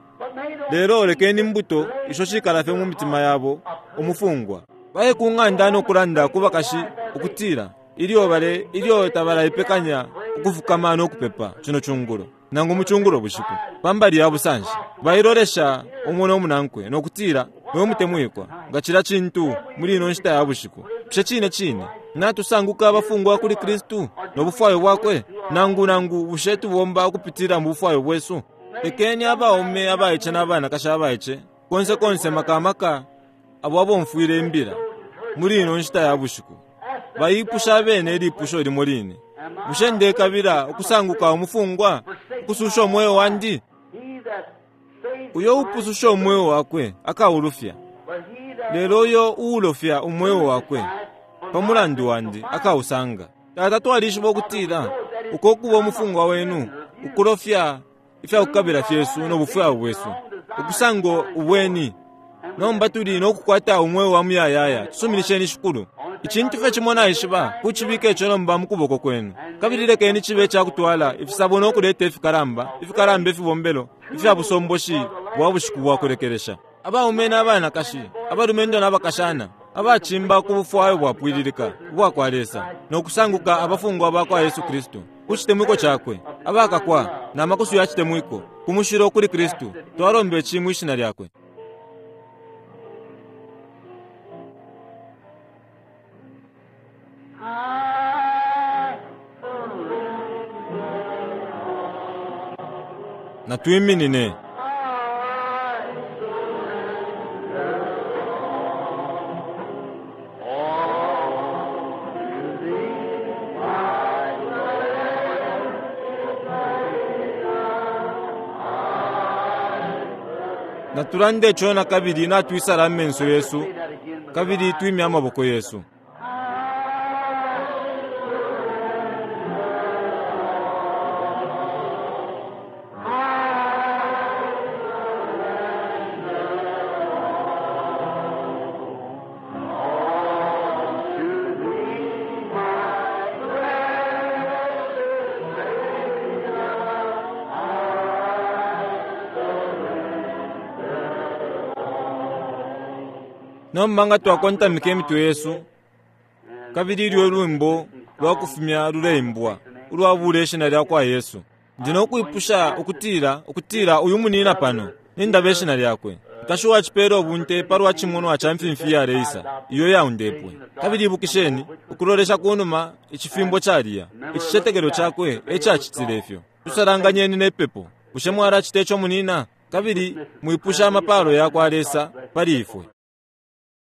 Lelo lekeni imbuto isho shikala fye mu mitima yabo umufungwa. Baye ku ng'anda no kulanda ku bakashi ukutila ilyo bale ilyo tabalaipekanya ukufukama no kupepa cino cungulo nangu mu cungulo bushiku pa mbali ya busanshi, bailolesha umo no munankwe no kutila, Mwe mutemwikwa, nga cila cintu muli ino nshita ya bushiku, bushe cine cine natusanguka abafungwa kuli Kristu no bufwayo bwakwe, nangu nangu bushe tubomba ukupitila mu bufwayo bwesu? Lekeni abaume abaice na banakashi abaice konse konse, maka maka abo abomfwile imbila muli ino nshita ya bushiku, baipusha abene ilipusho limo line: Bushe ndekabila ukusanguka umufungwa, ukususha umweo wandi? Uyo upususha umweo wakwe akaulufya, lelo uyo uulofya umweo wakwe pa mulandu wandi akausanga. Tata, twalishiba ukutila uko kuba umufungwa wenu, ukulofya ifyakukabila fyesu no bufwayo bwesu, ukusango ubweni. Nomba tuli no kukwata umweo wa muyayaya. Tusuminisheni, Shikulu. Icintu fye cimo naishiba, kucibika ico nomba mu kuboko kwenu, kabili lekeni cibe icakutwala ifisabo no kuleta ifikalamba, ifikalamba ifibombelo ifya busomboshi bwa bushiku bwa kulekelesha. Abaume na banakashi, abalumendo na bakashana, abacimba ku bufwayo bwapwililika ubwa kwa Lesa, no kusanguka abafungwa ba kwa Yesu Kristu ku citemwiko cakwe, abakakwa na makusu ya citemwiko ku mushilo kuli Kristu. Twalomba ici mwi shina lyakwe. Natwiminine. Natulande ico na kabili, natwisala amenso yesu kabili twimye amaboko yesu. Nomba nga twakontamika imitwe yesu, kabili ilyo ulwimbo lwa kufumya luleimbwa ulwabula Ishina lyakwa Yesu, ndi no kwipusha ukutila, ukutila uyu munina pano, nindaba ishina lyakwe, nkashi uwacipela ubunte palwa cimonwa ca mfimfi iyaleisa iyo yaundepwe. Kabili ibukisheni, ukulolesha kunuma, icifimbo caliya, icicetekelo cakwe e cacitile ifyo. Tusalanganyeni ne pepo. Bushe mwalacita ico, munina? Kabili mwipusha amapalo yakwa Lesa pali ifwe.